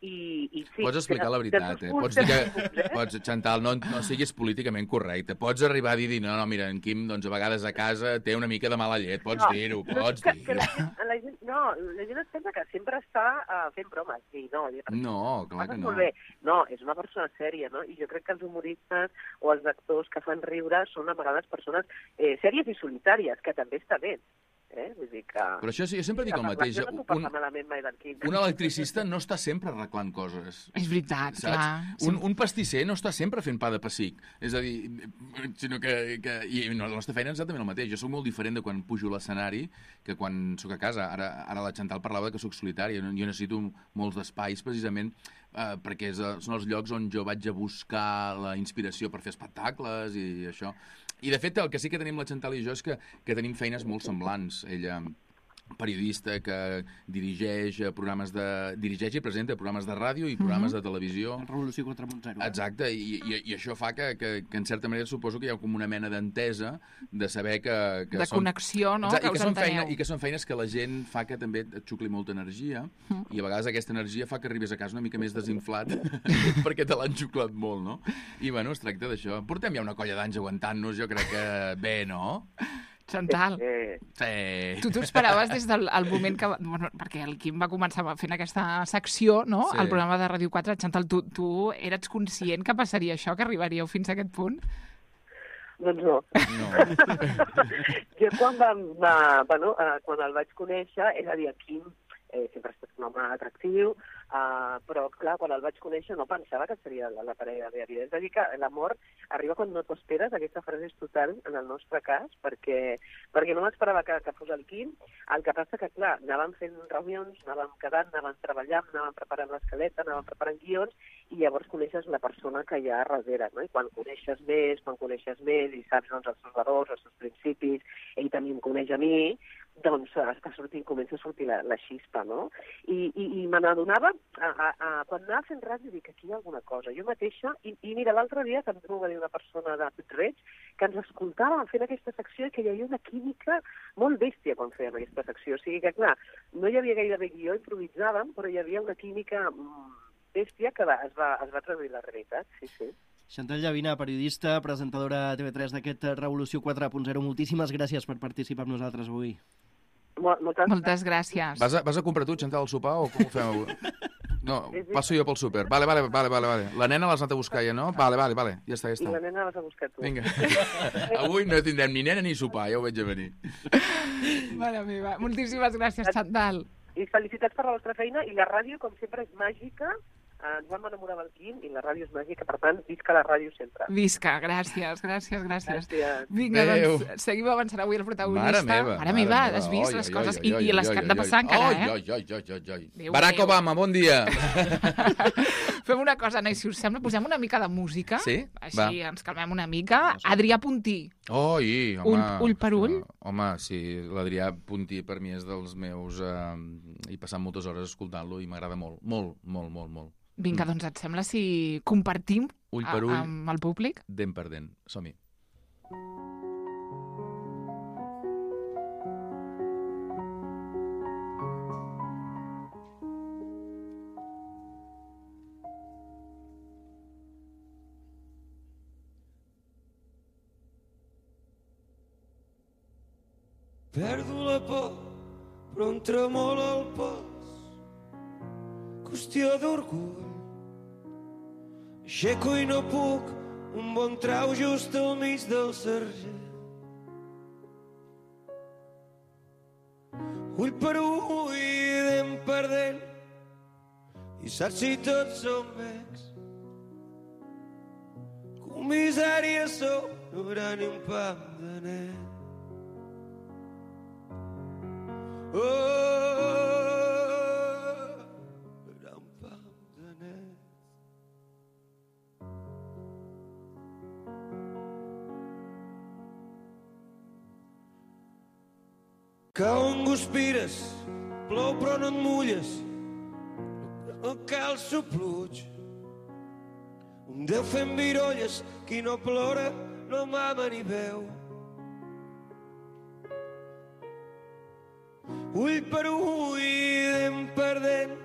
i, i sí... Pots explicar la veritat, eh? Pots dir que... Pots, Chantal, no, no siguis políticament correcte. Pots arribar a dir, no, no, mira, en Quim, doncs, a vegades a casa té una mica de mala llet. Pots No, dir-ho, no, pots que, que dir-ho. la, gent, la gent, no, la gent es pensa que sempre està uh, fent bromes. I no, jo, No, clar que no. Molt bé. No, és una persona sèria, no? I jo crec que els humoristes o els actors que fan riure són a vegades persones eh, sèries i solitàries, que també està bé. Eh? Vull dir que... Però això sí, jo sempre dic el mateix. Jo no puc Un, parlar malament mai del Quim. un electricista no està sempre arreglant coses. És veritat, Saps? clar. Un, un pastisser no està sempre fent pa de pessic. És a dir, sinó que... que I no, la nostra feina és exactament el mateix. Jo sóc molt diferent de quan pujo a l'escenari que quan sóc a casa. Ara, ara la Chantal parlava que sóc solitària. Jo necessito molts d'espais precisament eh, perquè és, són els llocs on jo vaig a buscar la inspiració per fer espectacles i això. I, de fet, el que sí que tenim la Chantal i jo és que, que tenim feines molt semblants. Ella, periodista que dirigeix programes de... dirigeix i presenta programes de ràdio i programes Mhm. de televisió. Revolució quatre punt zero. Exacte, i, i, i això fa que, que, que en certa manera suposo que hi ha com una mena d'entesa de saber que... que De són... connexió, no? Exacte, Que i, que us són enteneu. feina, I que són feines que la gent fa que també et xucli molta energia Mm. i a vegades aquesta energia fa que arribis a casa una mica més desinflat perquè te l'han xuclat molt, no? I bueno, es tracta d'això. Portem ja una colla d'anys aguantant-nos, jo crec que bé, no? Chantal, Eh, Sí. tu t'ho esperaves des del el moment que... Bueno, perquè el Quim va començar fent aquesta secció, no?, Sí. al programa de Ràdio quatre. Chantal, tu, tu eres conscient que passaria això, que arribaríeu fins a aquest punt? doncs no. No. Jo quan, va, va, bueno, eh, quan el vaig conèixer, és a dir, el Quim eh, sempre ha estat un home atractiu, uh, però clar, quan el vaig conèixer no pensava que seria la, la parella de la vida. És a dir, que l'amor arriba quan no t'ho esperes, aquesta frase és total en el nostre cas, perquè, perquè no m'esperava que, que fos el Quim. El que passa que, clar, anàvem fent reunions, anàvem quedant, anàvem treballant, anàvem preparant l'escaleta, anàvem preparant guions, i llavors coneixes la persona que hi ha darrere, no? I quan coneixes més, quan coneixes més, i saps doncs, els seus valors, els seus principis, ell també em coneix a mi, doncs està sortint, comença a sortir la, la xispa, no? I, i, i me n'adonava, a, a, a, quan anava fent ràdio, dic, aquí hi ha alguna cosa. Jo mateixa, i, i mira, l'altre dia també m'ho va dir una persona de Puig-reig, que ens escoltava fent aquesta secció i que hi havia una química molt bèstia quan fèiem aquesta secció. O sigui que, clar, no hi havia gairebé guió, improvisàvem, però hi havia una química bèstia que va, es, va, es va traduir la realitat, sí, sí. Chantal Llavina, periodista, presentadora a T V tres d'aquest Revolució quatre punt zero. Moltíssimes gràcies per participar amb nosaltres avui. Moltes, Moltes gràcies. Vas a, vas a comprar tu, Chantal, el sopar o com ho fem avui? No, passo jo pel súper. Vale, vale, vale, vale, vale. La nena l'has anat a buscar ja, no? Vale, vale, vale. Ja està, ja I està. la nena l'has a buscar tu. Vinga. Avui no tindrem ni nena ni sopar, ja ho veig a venir. Mare meva, moltíssimes gràcies, Chantal. I felicitats per la vostra feina, i la ràdio, com sempre, és màgica. Ens vam enamorar amb el Quim i la ràdio és màgica, per tant, visca la ràdio sempre. Visca, gràcies, gràcies, gràcies. Gràcies. Vinga, Adéu. doncs, seguim avançant avui el protagonista. Mare meva. Mare meva, has vist les coses? I, i les que han de passar encara, eh? Oi, oi, oi, oi, oi. Déu Barack meu. Obama, bon dia. Fem una cosa, Anna, si us sembla, posem una mica de música. Sí? Així Va. ens calmem una mica. Adrià Puntí. Oi, home. Ull- ull per ull? Home, sí, l'Adrià Puntí per mi és dels meus... Eh, he passat moltes hores escoltant-lo i m'agrada molt, molt, molt, molt, molt. Vinga, doncs et sembla si compartim Ull a- per ull. amb el públic? Dent per dent. Som-hi. Perdo la por, però em tremola el pas. Qüestió d'orgull. Aixeco i no puc, un bon trau just al mig del sergent. Ull per ull, dent per dent, i saps si tots som vecs. Comissària sou, no haurà ni un pam de net. Oh, era un pam de net. Cau en guspires, plou però no et mulles, no cal sopluig. Un Déu fent virolles, qui no plora no mama ni veu. Ull per ull, dent per dent,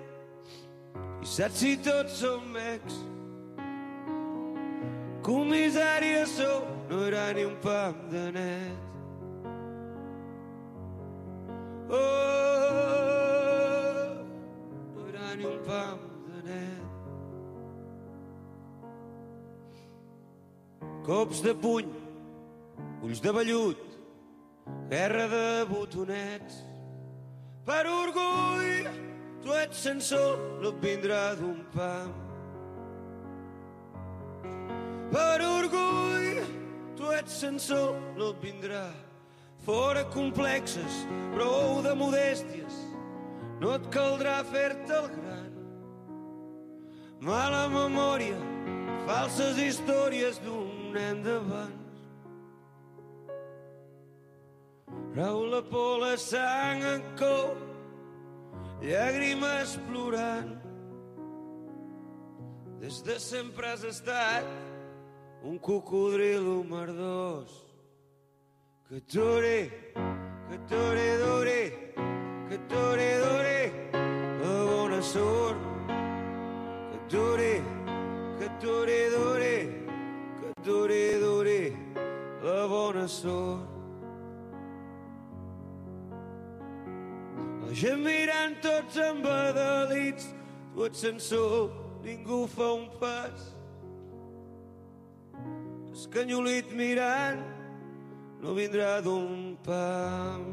i saps si tots som ex. Comissària sou, no hi haurà ni un pam de net. Oh, no hi haurà ni un pam de net. Cops de puny, ulls de vellut, guerra de botonets. Per orgull, tu ets censor, no et vindrà d'un pam. Per orgull, tu ets censor, no et vindrà. Fora complexes, prou de modèsties, no et caldrà fer-te el gran. Mala memòria, falses històries d'un nen d'abans. Rau la por, la sang en cou, llàgrimes plorant. Des de sempre has estat un cocodrilo merdós. Que t'ore, que t'ore d'ore, que t'ore d'ore, la bona sort. Que t'ore, que t'ore d'ore, que t'ore d'ore, la bona sort. La gent mirant tots embadalits, tu ets censor, ningú fa un pas. Escanyolit mirant, no vindrà d'un pam.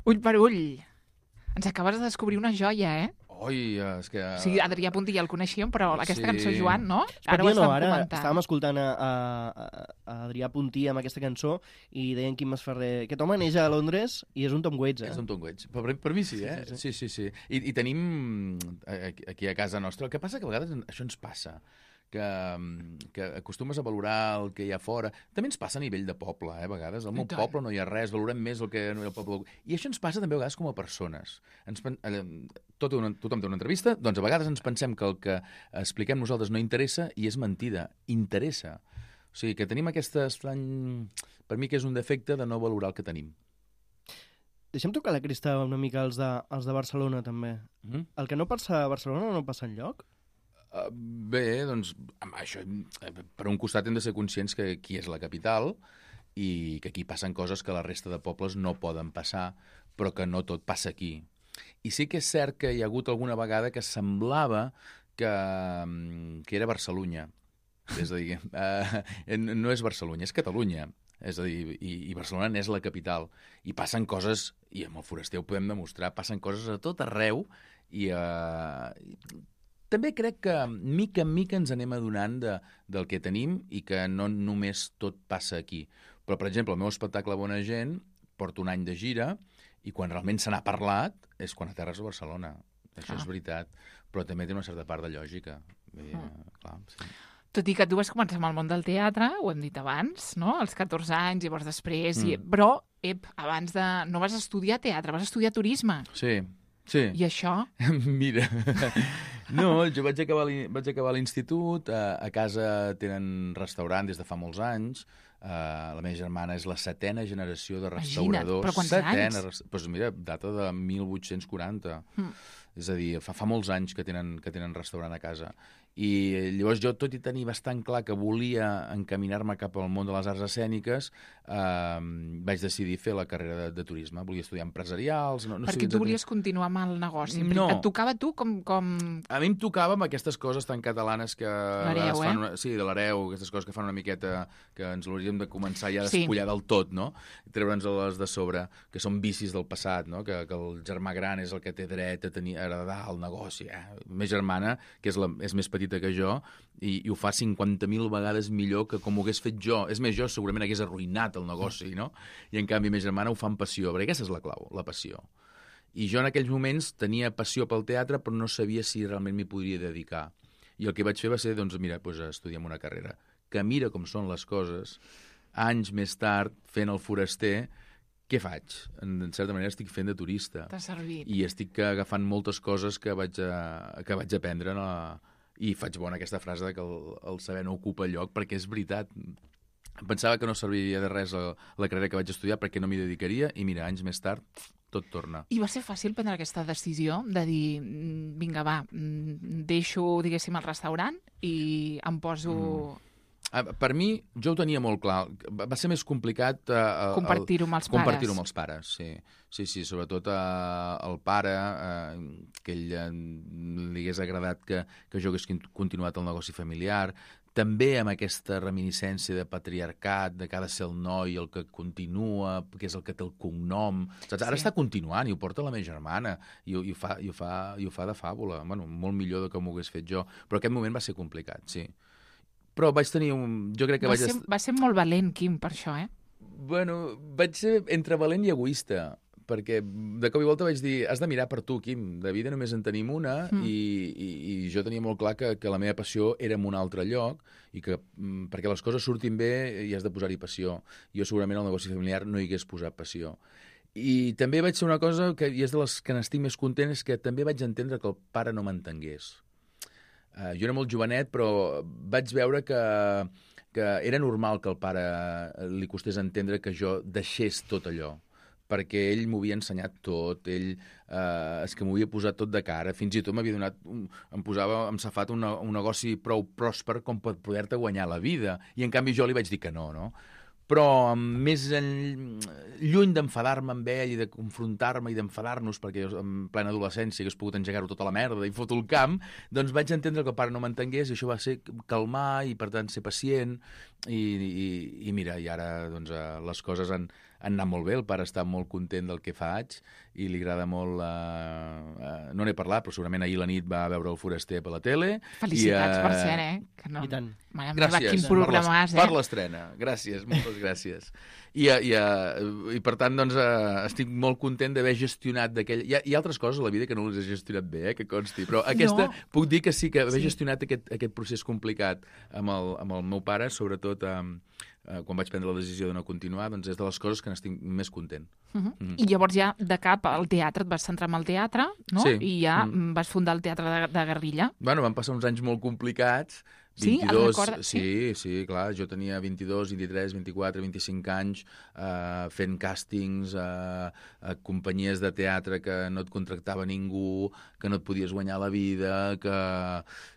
Ull per ull. Ens acabes de descobrir una joia, eh? Oi, és que... O sigui, Adrià Puntí ja el coneixíem, però aquesta Sí. cançó, Joan, no? Ara ho no, estàvem ara comentant. estàvem escoltant a, a, a Adrià Puntí amb aquesta cançó i deien Quim Masferrer, aquest home neix a Londres i és un Tom Waits, eh? És un Tom Waits. Per, per mi sí, eh? Sí, sí, sí. I, i tenim aquí- aquí a casa nostra... El que passa que a vegades això ens passa, que, que acostumes a valorar el que hi ha fora. També ens passa a nivell de poble, eh, a vegades. Al meu tant. poble no hi ha res, valorem més el que no hi ha al poble. I això ens passa també a vegades com a persones. Ens, pen- eh, tot una, tothom té una entrevista, doncs a vegades ens pensem que el que expliquem nosaltres no interessa i és mentida, interessa. O sigui, que tenim aquest estrany... Per mi que és un defecte de no valorar el que tenim. Deixa'm tocar la cresta una mica als de, als de Barcelona, també. Mm? El que no passa a Barcelona no passa enlloc? Uh, bé, doncs, amb això, per un costat hem de ser conscients que aquí és la capital i que aquí passen coses que la resta de pobles no poden passar, però que no tot passa aquí. I sí que és cert que hi ha hagut alguna vegada que semblava que, que era Barcelunya. És a dir, uh, no és Barcelunya, és Catalunya. És a dir, i, i Barcelona n'és la capital. I passen coses, i amb el Foraster ho podem demostrar, passen coses a tot arreu i... Uh, També crec que mica en mica ens anem adonant de, del que tenim i que no només tot passa aquí. Però, per exemple, el meu espectacle Bona Gent porta un any de gira i quan realment se n'ha parlat és quan aterres a Barcelona. Això ah. és veritat. Però també té una certa part de lògica. Bé, ah. clar, sí. Tot i que tu vas començar amb el món del teatre, ho hem dit abans, no? Als catorze anys, llavors després... Mm. I... Però, ep, abans de... No vas estudiar teatre, vas estudiar turisme. Sí, sí. I això? Mira... No, jo vaig acabar, vaig acabar l'institut, a, a casa tenen restaurant des de fa molts anys, uh, la meva germana és la setena generació de restauradors. Imagina't, però quants setena, anys? Doncs pues mira, data de mil vuit-cents quaranta. Mm. És a dir, fa, fa molts anys que tenen, que tenen restaurant a casa. I llavors jo, tot i tenir bastant clar que volia encaminar-me cap al món de les arts escèniques, eh, vaig decidir fer la carrera de, de turisme. Volia estudiar empresarials... No, no Perquè tu volies continuar amb el negoci. No. Et tocava tu com, com... A mi em tocava amb aquestes coses tan catalanes que... L'hereu, eh? Una, sí, de l'hereu, aquestes coses que fan una miqueta... que ens l'hauríem de començar ja a sí. despullar del tot, no? Treure'ns les de sobre, que són vicis del passat, no? Que, que el germà gran és el que té dret a tenir, a heredar el negoci. Eh? La meva germana, que és, la, és més petita que jo, i, i ho fa cinquanta mil vegades millor que com ho hagués fet jo. És més, jo segurament hagués arruïnat el negoci, no? I en canvi, la meva germana ho fa amb passió, perquè aquesta és la clau, la passió. I jo en aquells moments tenia passió pel teatre, però no sabia si realment m'hi podria dedicar. I el que vaig fer va ser, doncs, mira, doncs, estudiar una carrera. Que mira com són les coses, anys més tard, fent el Foraster, què faig? En, en certa manera estic fent de turista. T'ha servit. I estic agafant moltes coses que vaig, a, que vaig aprendre en la... I faig bona aquesta frase de que el, el saber no ocupa lloc, perquè és veritat. Pensava que no serviria de res la, la carrera que vaig estudiar perquè no m'hi dedicaria, i mira, anys més tard, tot torna. I va ser fàcil prendre aquesta decisió de dir, vinga, va, deixo, diguéssim, el restaurant i em poso... Mm. Per mi, jo ho tenia molt clar. Va ser més complicat... Uh, compartir-ho amb els pares. Compartir-ho amb els pares, sí. Sí, sí, sobretot uh, el pare, uh, que ell uh, li hagués agradat que, que jo hagués continuat el negoci familiar, també amb aquesta reminiscència de patriarcat, de que ha de ser el noi el que continua, que és el que té el cognom. Saps? Ara sí. Està continuant i ho porta la meva germana i, i, ho, fa, i, ho, fa, i ho fa de fàbula. Bueno, molt millor de com ho hagués fet jo. Però aquest moment va ser complicat, sí. Però vaig tenir un... Jo crec que va, vaig... ser, va ser molt valent, Quim, per això, eh? Bueno, vaig ser entre valent i egoista, perquè de cop i volta vaig dir, has de mirar per tu, Quim, de vida només en tenim una, mm. i, i, i jo tenia molt clar que, que la meva passió era en un altre lloc, i que perquè les coses surtin bé hi has de posar-hi passió. Jo segurament al negoci familiar no hi hagués posat passió. I també vaig ser una cosa, que i és de les que n'estic més content, és que també vaig entendre que el pare no m'entengués. Uh, jo era molt jovenet, però vaig veure que, que era normal que al pare li costés entendre que jo deixés tot allò, perquè ell m'ho havia ensenyat tot, ell eh, és que m'ho havia posat tot de cara, fins i tot m'havia donat, un, em posava, em safat un, un negoci prou pròsper com per poder-te guanyar la vida, i en canvi jo li vaig dir que no, no? Però més en, lluny d'enfadar-me amb ell i de confrontar-me i d'enfadar-nos, perquè jo en plena adolescència hagués pogut engegar-ho tota la merda i fotre el camp, doncs vaig entendre que el pare no m'entengués, i això va ser calmar i, per tant, ser pacient, i, i, i mira, i ara doncs, les coses han, han anat molt bé, el pare està molt content del que faig i li agrada molt... Eh, eh, no n'he parlat, però segurament ahir la nit va veure el Foraster per la tele. Felicitats, i, eh, per cert, eh? Que no... I tant. Mare gràcies meva, quin programàs, eh? per l'estrena. Gràcies, moltes gràcies. I, i, i per tant, doncs, estic molt content d'haver gestionat d'aquell... Hi, hi ha altres coses a la vida que no les he gestionat bé, eh, que consti, però aquesta no. Puc dir que sí que haver sí. gestionat aquest, aquest procés complicat amb el, amb el meu pare, sobretot um, uh, quan vaig prendre la decisió de no continuar, doncs és de les coses que n'estic més content. Uh -huh. mm. I llavors ja de cap al teatre et vas centrar en el teatre, no? Sí. I ja mm. vas fundar el Teatre de, de Guerrilla. Bueno, van passar uns anys molt complicats, Sí? El vint-i-dos, recorda? sí, sí, clar, jo tenia vint-i-dos, vint-i-tres, vint-i-quatre, vint-i-cinc anys eh, fent càstings a, a companyies de teatre que no et contractava ningú, que no et podies guanyar la vida, que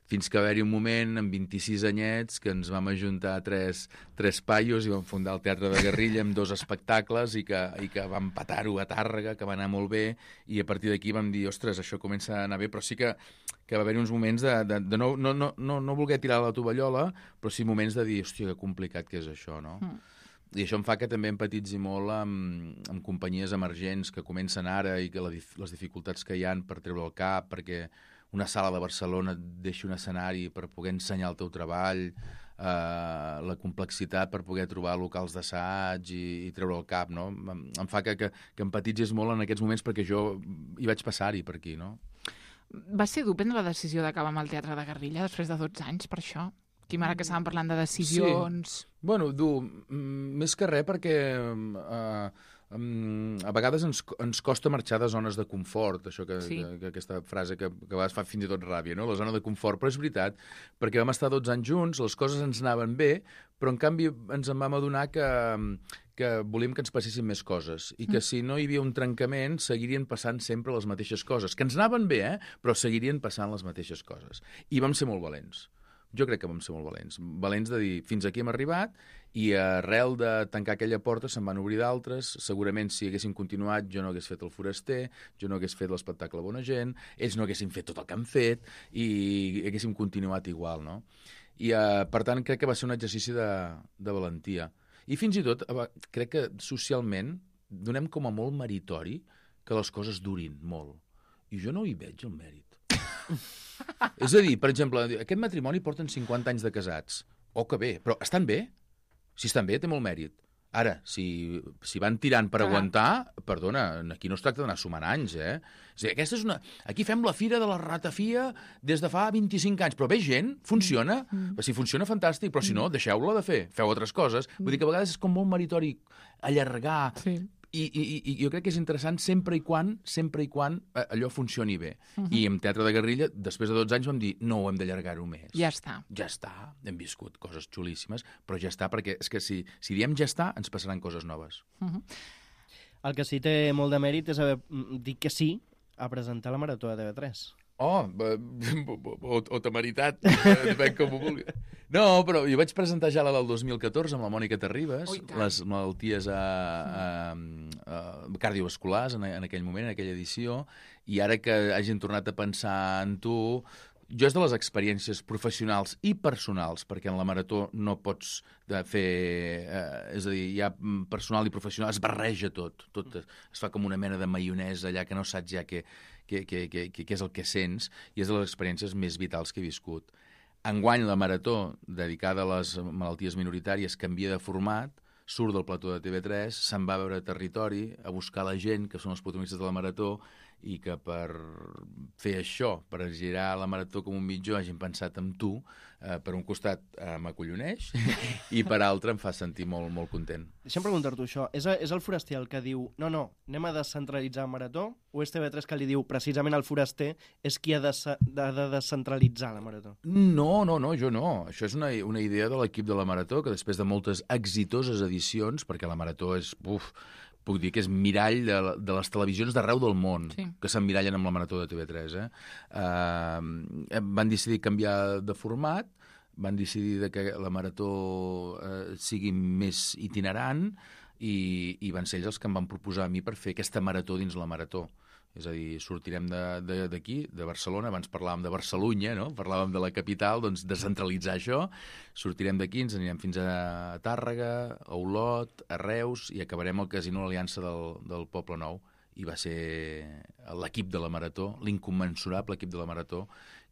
fins que va haver-hi un moment, amb vint-i-sis anyets, que ens vam ajuntar tres, tres paios i vam fundar el Teatre de Garrilla amb dos espectacles i que, i que vam patar-ho a Tàrrega, que va anar molt bé, i a partir d'aquí vam dir, ostres, això comença a anar bé, però sí que que va haver-hi uns moments de, de, de no, no, no, no, no voler tirar la tovallola, però sí moments de dir, hòstia, que complicat que és això, no? Mm. I això em fa que també empatitzi molt amb, amb companyies emergents que comencen ara i que la, les dificultats que hi han per treure el cap, perquè una sala de Barcelona et deixi un escenari per poder ensenyar el teu treball, eh, la complexitat per poder trobar locals d'assaig i, i treure el cap, no? Em, em fa que, que, que empatitzis molt en aquests moments perquè jo hi vaig passar-hi per aquí, no? Va ser dur prendre la decisió d'acabar amb el Teatre de Garrilla després de dotze anys, per això? Quim, ara que estàvem parlant de decisions... Sí. Bueno, dur, més que res perquè eh, a vegades ens, ens costa marxar de zones de confort, això que, sí. que, que aquesta frase que, que a vegades fa fins i tot ràbia, no? La zona de confort, però és veritat, perquè vam estar dotze anys junts, les coses ens anaven bé, però en canvi ens en vam adonar que, que volíem que ens passessin més coses i que si no hi havia un trencament seguirien passant sempre les mateixes coses, que ens anaven bé, eh? Però seguirien passant les mateixes coses. I vam ser molt valents. Jo crec que vam ser molt valents. Valents de dir, fins aquí hem arribat, i arrel de tancar aquella porta se'n van obrir d'altres. Segurament si haguéssim continuat jo no hagués fet el Foraster, jo no hagués fet l'espectacle Bona Gent, ells no haguessin fet tot el que han fet i haguéssim continuat igual, no? I uh, per tant crec que va ser un exercici de, de valentia. I fins i tot crec que socialment donem com a molt meritori que les coses durin molt. I jo no hi veig el mèrit. És a dir, per exemple, aquest matrimoni porten cinquanta anys de casats. Oh, que bé, però estan bé? Si estan bé, té molt mèrit. Ara, si, si van tirant per ah. aguantar, perdona, aquí no es tracta d'anar sumant anys, eh? És a dir, aquesta és una... Aquí fem la fira de la ratafia des de fa vint-i-cinc anys, però ve gent, funciona, mm. si funciona, fantàstic, però si no, deixeu-la de fer, feu altres coses. Vull dir que a vegades és com molt meritori allargar... Sí. I, i, I jo crec que és interessant sempre i quan sempre i quan allò funcioni bé. Uh -huh. I en Teatre de Garrilla, després de dotze anys, vam dir no ho hem d'allargar-ho més. Ja està. Ja està. Hem viscut coses xulíssimes, però ja està, perquè és que si, si diem ja està, ens passaran coses noves. Uh -huh. El que sí té molt de mèrit és haver dit que sí a presentar la Marató de T V tres. Oh, o, o temeritat, depèn com ho vulgui. No, però jo vaig presentar ja la del dos mil catorze amb la Mònica Terribas, oh, les malalties a, a, a cardiovasculars en, en aquell moment, en aquella edició, i ara que hagin tornat a pensar en tu... Jo és de les experiències professionals i personals, perquè en la marató no pots fer... Eh, és a dir, hi ha personal i professional, es barreja tot, tot es fa com una mena de maionesa allà que no saps ja què, què, què, què, què és el que sents, i és de les experiències més vitals que he viscut. Enguany la marató, dedicada a les malalties minoritàries, canvia de format, surt del plató de T V tres, se'n va a veure territori, a buscar la gent, que són els protagonistes de la marató, i que per fer això, per girar la marató com un mitjó, hagin pensat en tu, eh, per un costat eh, m'acolloneix i per altre em fa sentir molt, molt content. Deixa'm preguntar-t'ho això. És, a, és el Foraster el que diu no, no, anem a descentralitzar la marató, o és T V tres que li diu precisament el Foraster és qui ha de, de, de descentralitzar la marató? No, no, no, jo no. Això és una, una idea de l'equip de la marató, que després de moltes exitoses edicions, perquè la marató és... Uf, puc dir que és mirall de, de les televisions d'arreu del món, sí. que s'emmirallen amb la marató de T V tres. Eh? Uh, van decidir canviar de format, van decidir de que la marató uh, sigui més itinerant i, i van ser ells els que em van proposar a mi per fer aquesta marató dins la marató. És a dir, sortirem d'aquí, de, de, de Barcelona, abans parlàvem de Barcelunya, no? Parlàvem de la capital, doncs descentralitzar això, sortirem d'aquí, ens anirem fins a Tàrrega, a Olot, a Reus, i acabarem al Casino Aliança del, del Poble Nou. I va ser l'equip de la marató, l'incommensurable equip de la marató,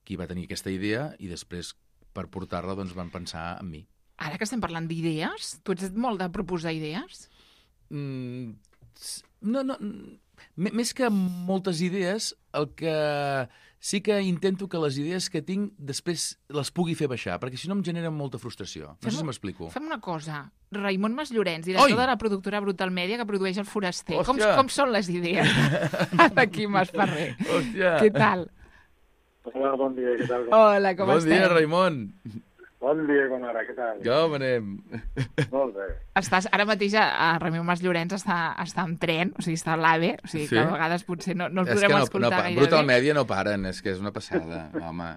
qui va tenir aquesta idea i després, per portar-la, doncs van pensar en mi. Ara que estem parlant d'idees, tu ets molt de proposar idees? Mm, no, no... M més que moltes idees, el que sí que intento que les idees que tinc després les pugui fer baixar, perquè si no em generen molta frustració. No fem, sé si m'explico. Fem una cosa. Raimon Masllorens, director Oi! de la productora Brutal Media, que produeix el Foraster. Com, com són les idees d'aquí Masferrer? Hòstia! Què tal? Hola, bon dia, què tal? Hola, com bon estem? Bon dia, Raimon. Bon dia, Conara, què tal? Com anem? Molt bé. Estàs, ara mateix a, a Ramon Mas Llorenç està, està en tren, o sigui, està a l'AVE, o sigui, Sí? que a vegades potser no, no el És que podrem no, escoltar no, gairebé. Brutal Media no paren, és que és una passada, home.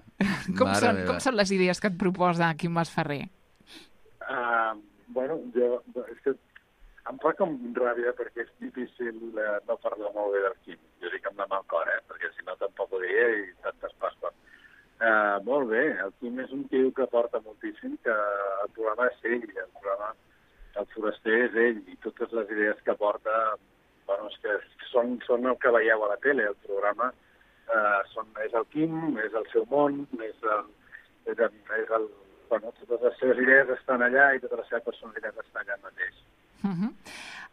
Com Mare són, meva. com són les idees que et proposa Quim Masferrer? Uh, bueno, jo... És que em fa com ràbia perquè és difícil uh, no parlar molt bé del Quim. Jo dic amb la mà al cor, eh? Perquè si no tampoc ho diria i tantes passes. Uh, molt bé, el Quim és un tio que porta moltíssim, que el programa és ell, el programa, el foraster és ell, i totes les idees que porta, bueno, és que són, són el que veieu a la tele, el programa uh, són, és el Quim, és el seu món, és el, és el, és el, bueno, totes les seves idees estan allà i tota la seva personalitat està allà mateix. Uh -huh.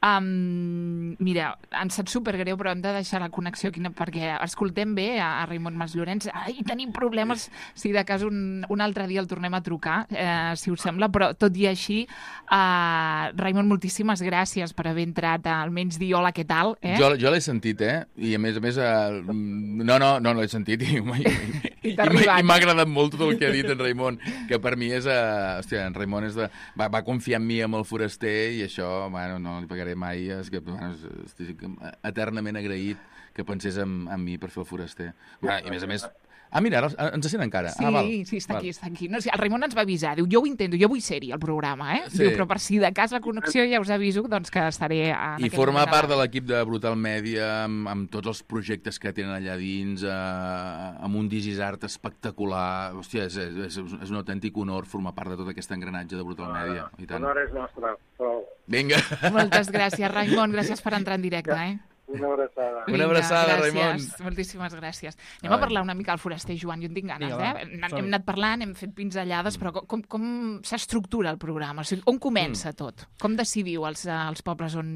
um, mira, ens sap supergreu, però hem de deixar la connexió aquí, perquè escoltem bé a, a Ramon Mas Llorenç. Ai, tenim problemes, si de cas un, un altre dia el tornem a trucar, eh, si us sembla, però tot i així, uh, Ramon, moltíssimes gràcies per haver entrat a almenys dir hola, què tal? Eh? Jo, jo l'he sentit, eh? I a més a més, eh, no, no, no l'he sentit i, i, I i, t'ha i arribat. m'ha agradat molt tot el que ha dit en Raimon, que per mi és... Uh, hòstia, en Raimon és de, va, va confiar en mi amb el foraster i això, bueno, no li pagaré mai, és que bueno, estic eternament agraït que pensés en, en mi per fer el foraster. Bueno, i a més a més... Ah, mira, ara ens sent encara. Sí, ah, val, sí, està val. aquí, està aquí. No, sí, el Raimon ens va avisar, diu, jo ho intento, jo vull ser-hi al programa, eh? Sí. Diu, però per si de cas la connexió ja us aviso, doncs que estaré en I aquest forma moment part a de l'equip de Brutal Media amb, amb tots els projectes que tenen allà dins, eh, amb un Digisart espectacular. Hòstia, és, és, és un autèntic honor formar part de tot aquest engranatge de Brutal Media. I tant. L'honor és nostre, però... Vinga. Moltes gràcies, Raimon, gràcies per entrar en directe, eh? Una abraçada. Una abraçada, gràcies, Raimon. Moltíssimes gràcies. Anem Ai. a parlar una mica al foraster, Joan, jo en tinc ganes, Vinga, eh? va, Hem, som-hi. hem anat parlant, hem fet pinzellades, però com, com, com s'estructura el programa? O sigui, on comença tot? Com decidiu els, els pobles on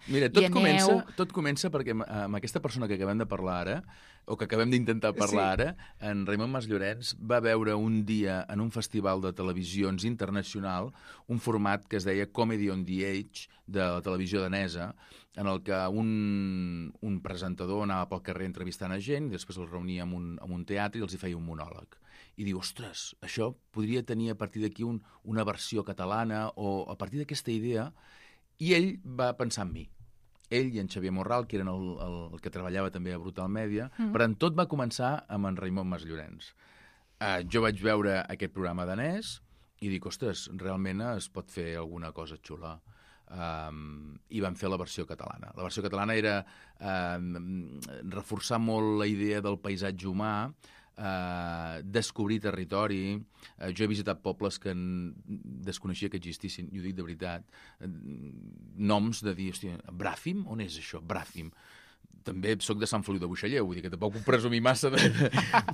Mira, hi tot aneu? comença, tot comença perquè amb, amb aquesta persona que acabem de parlar ara, o que acabem d'intentar parlar Sí. ara, en Ramon Mas Llorenç va veure un dia en un festival de televisions internacional un format que es deia Comedy on the Edge, de la televisió danesa, en el que un, un presentador anava pel carrer entrevistant a gent, i després els reunia en un, en un teatre i els hi feia un monòleg. I diu, ostres, això podria tenir a partir d'aquí un, una versió catalana, o a partir d'aquesta idea, i ell va pensar en mi. Ell i en Xavier Morral, que eren el, el, el que treballava també a Brutal Media, mm. però en tot va començar amb en Ramon Mas Llorenç. Uh, jo vaig veure aquest programa danès i dic, ostres, realment es pot fer alguna cosa xula. Um, i vam fer la versió catalana. La versió catalana era um, reforçar molt la idea del paisatge humà, uh, descobrir territori. Uh, jo he visitat pobles que en... desconeixia que existissin, i ho dic de veritat, uh, noms de dir, hòstia, Bràfim? On és això, Bràfim? També sóc de Sant Feliu de Buixalleu, vull dir que tampoc puc presumir massa. De...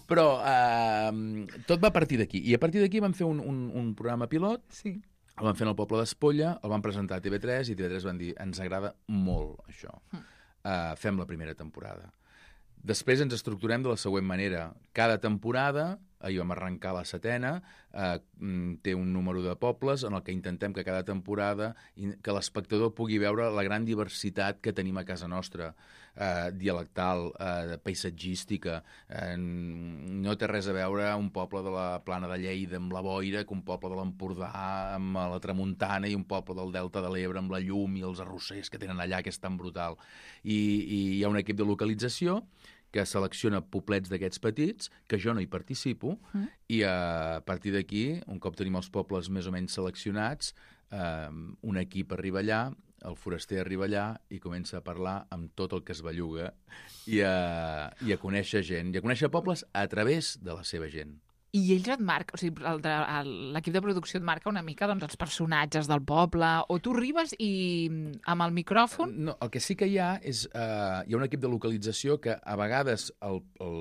Però uh, tot va a partir d'aquí. I a partir d'aquí vam fer un, un, un programa pilot, Sí. el van fer al Poble d'Espolla, el van presentar a T V tres i T V tres van dir, ens agrada molt això, uh, fem la primera temporada. Després ens estructurem de la següent manera. Cada temporada, ahir vam arrencar la setena, eh, té un número de pobles en el que intentem que cada temporada que l'espectador pugui veure la gran diversitat que tenim a casa nostra, eh, dialectal, eh, paisatgística. Eh, no té res a veure un poble de la Plana de Lleida amb la boira que un poble de l'Empordà amb la tramuntana i un poble del Delta de l'Ebre amb la llum i els arrossers que tenen allà, que és tan brutal. I, i hi ha un equip de localització que selecciona poblets d'aquests petits, que jo no hi participo, mm. i a partir d'aquí, un cop tenim els pobles més o menys seleccionats, eh, un equip arriba allà, el foraster arriba allà i comença a parlar amb tot el que es belluga i a, i a conèixer gent, i a conèixer pobles a través de la seva gent. I ells et marca, o sigui, el de- el- l'equip de producció et marca una mica doncs, els personatges del poble, o tu arribes i amb el micròfon... No, el que sí que hi ha és... Eh, hi ha un equip de localització que a vegades el, el,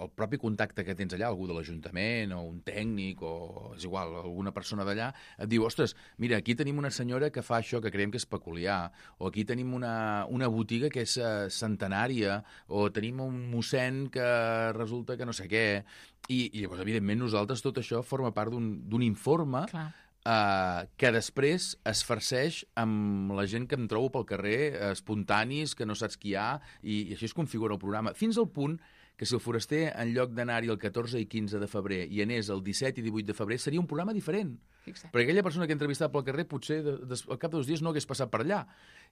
el propi contacte que tens allà, algú de l'Ajuntament o un tècnic o és igual, alguna persona d'allà, et diu, ostres, mira, aquí tenim una senyora que fa això que creiem que és peculiar, o aquí tenim una, una botiga que és uh, centenària, o tenim un mossèn que resulta que no sé què... I, i llavors, evidentment, nosaltres tot això forma part d'un informe uh, que després es farceix amb la gent que em trobo pel carrer, uh, espontanis, que no saps qui hi ha, i, i així es configura el programa, fins al punt que si el Foraster, en lloc d'anar-hi el catorze i quinze de febrer i anés el disset i divuit de febrer, seria un programa diferent. Fixa't. Perquè aquella persona que he entrevistat pel carrer potser de, de, al cap de dos dies no hagués passat per allà.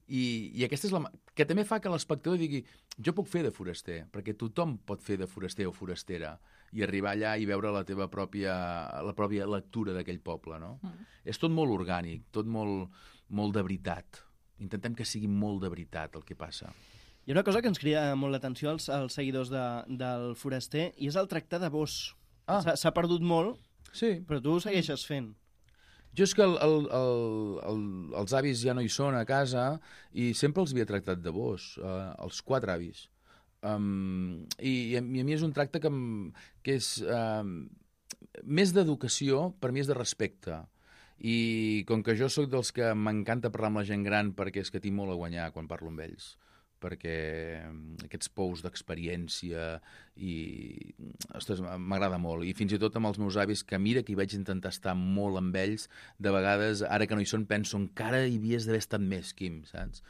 I, i aquesta és la... que també fa que l'espectador digui jo puc fer de foraster, perquè tothom pot fer de foraster o forastera i arribar allà i veure la teva pròpia, la pròpia lectura d'aquell poble, no? Mm. És tot molt orgànic, tot molt, molt de veritat. Intentem que sigui molt de veritat el que passa. Hi ha una cosa que ens crida molt l'atenció als, als seguidors de, del Foraster i és el tractar de vos. Ah. S'ha perdut molt, sí. Però tu ho segueixes fent. Jo és que el, el, el, el, els avis ja no hi són a casa i sempre els havia tractat de vos, eh, els quatre avis. Um, i, i a mi és un tracte que, que és um, més d'educació, per mi és de respecte. I com que jo sóc dels que m'encanta parlar amb la gent gran perquè és que tinc molt a guanyar quan parlo amb ells, perquè aquests pous d'experiència i ostres, m'agrada molt. I fins i tot amb els meus avis, que mira que hi vaig intentar estar molt amb ells, de vegades, ara que no hi són, penso encara hi havies d'haver estat més, Quim, saps?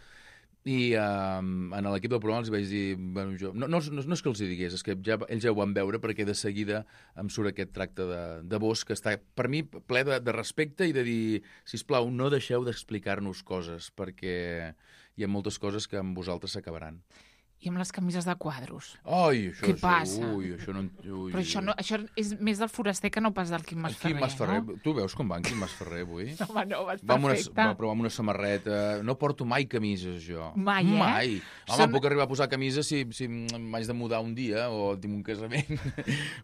I uh, en l'equip del programa els vaig dir... Bueno, jo, no, no, no, no és que els hi digués, és que ja, ells ja ho van veure perquè de seguida em surt aquest tracte de, de vos que està, per mi, ple de, de respecte i de dir, sisplau, no deixeu d'explicar-nos coses perquè hi ha moltes coses que amb vosaltres s'acabaran. I amb les camises de quadros. Ai, això... Què sí, passa? Ui, això no... Ui, Però això, no, això és més del foraster que no pas del Quim Masferrer, Quim Masferrer, no? Tu veus com va en Quim Masferrer avui? No, home, no, vas va perfecte. Una, va, però amb una samarreta... No porto mai camises, jo. Mai, eh? Mai. Home, Són... puc arribar a posar camisa si, si m'haig de mudar un dia o tinc un casament.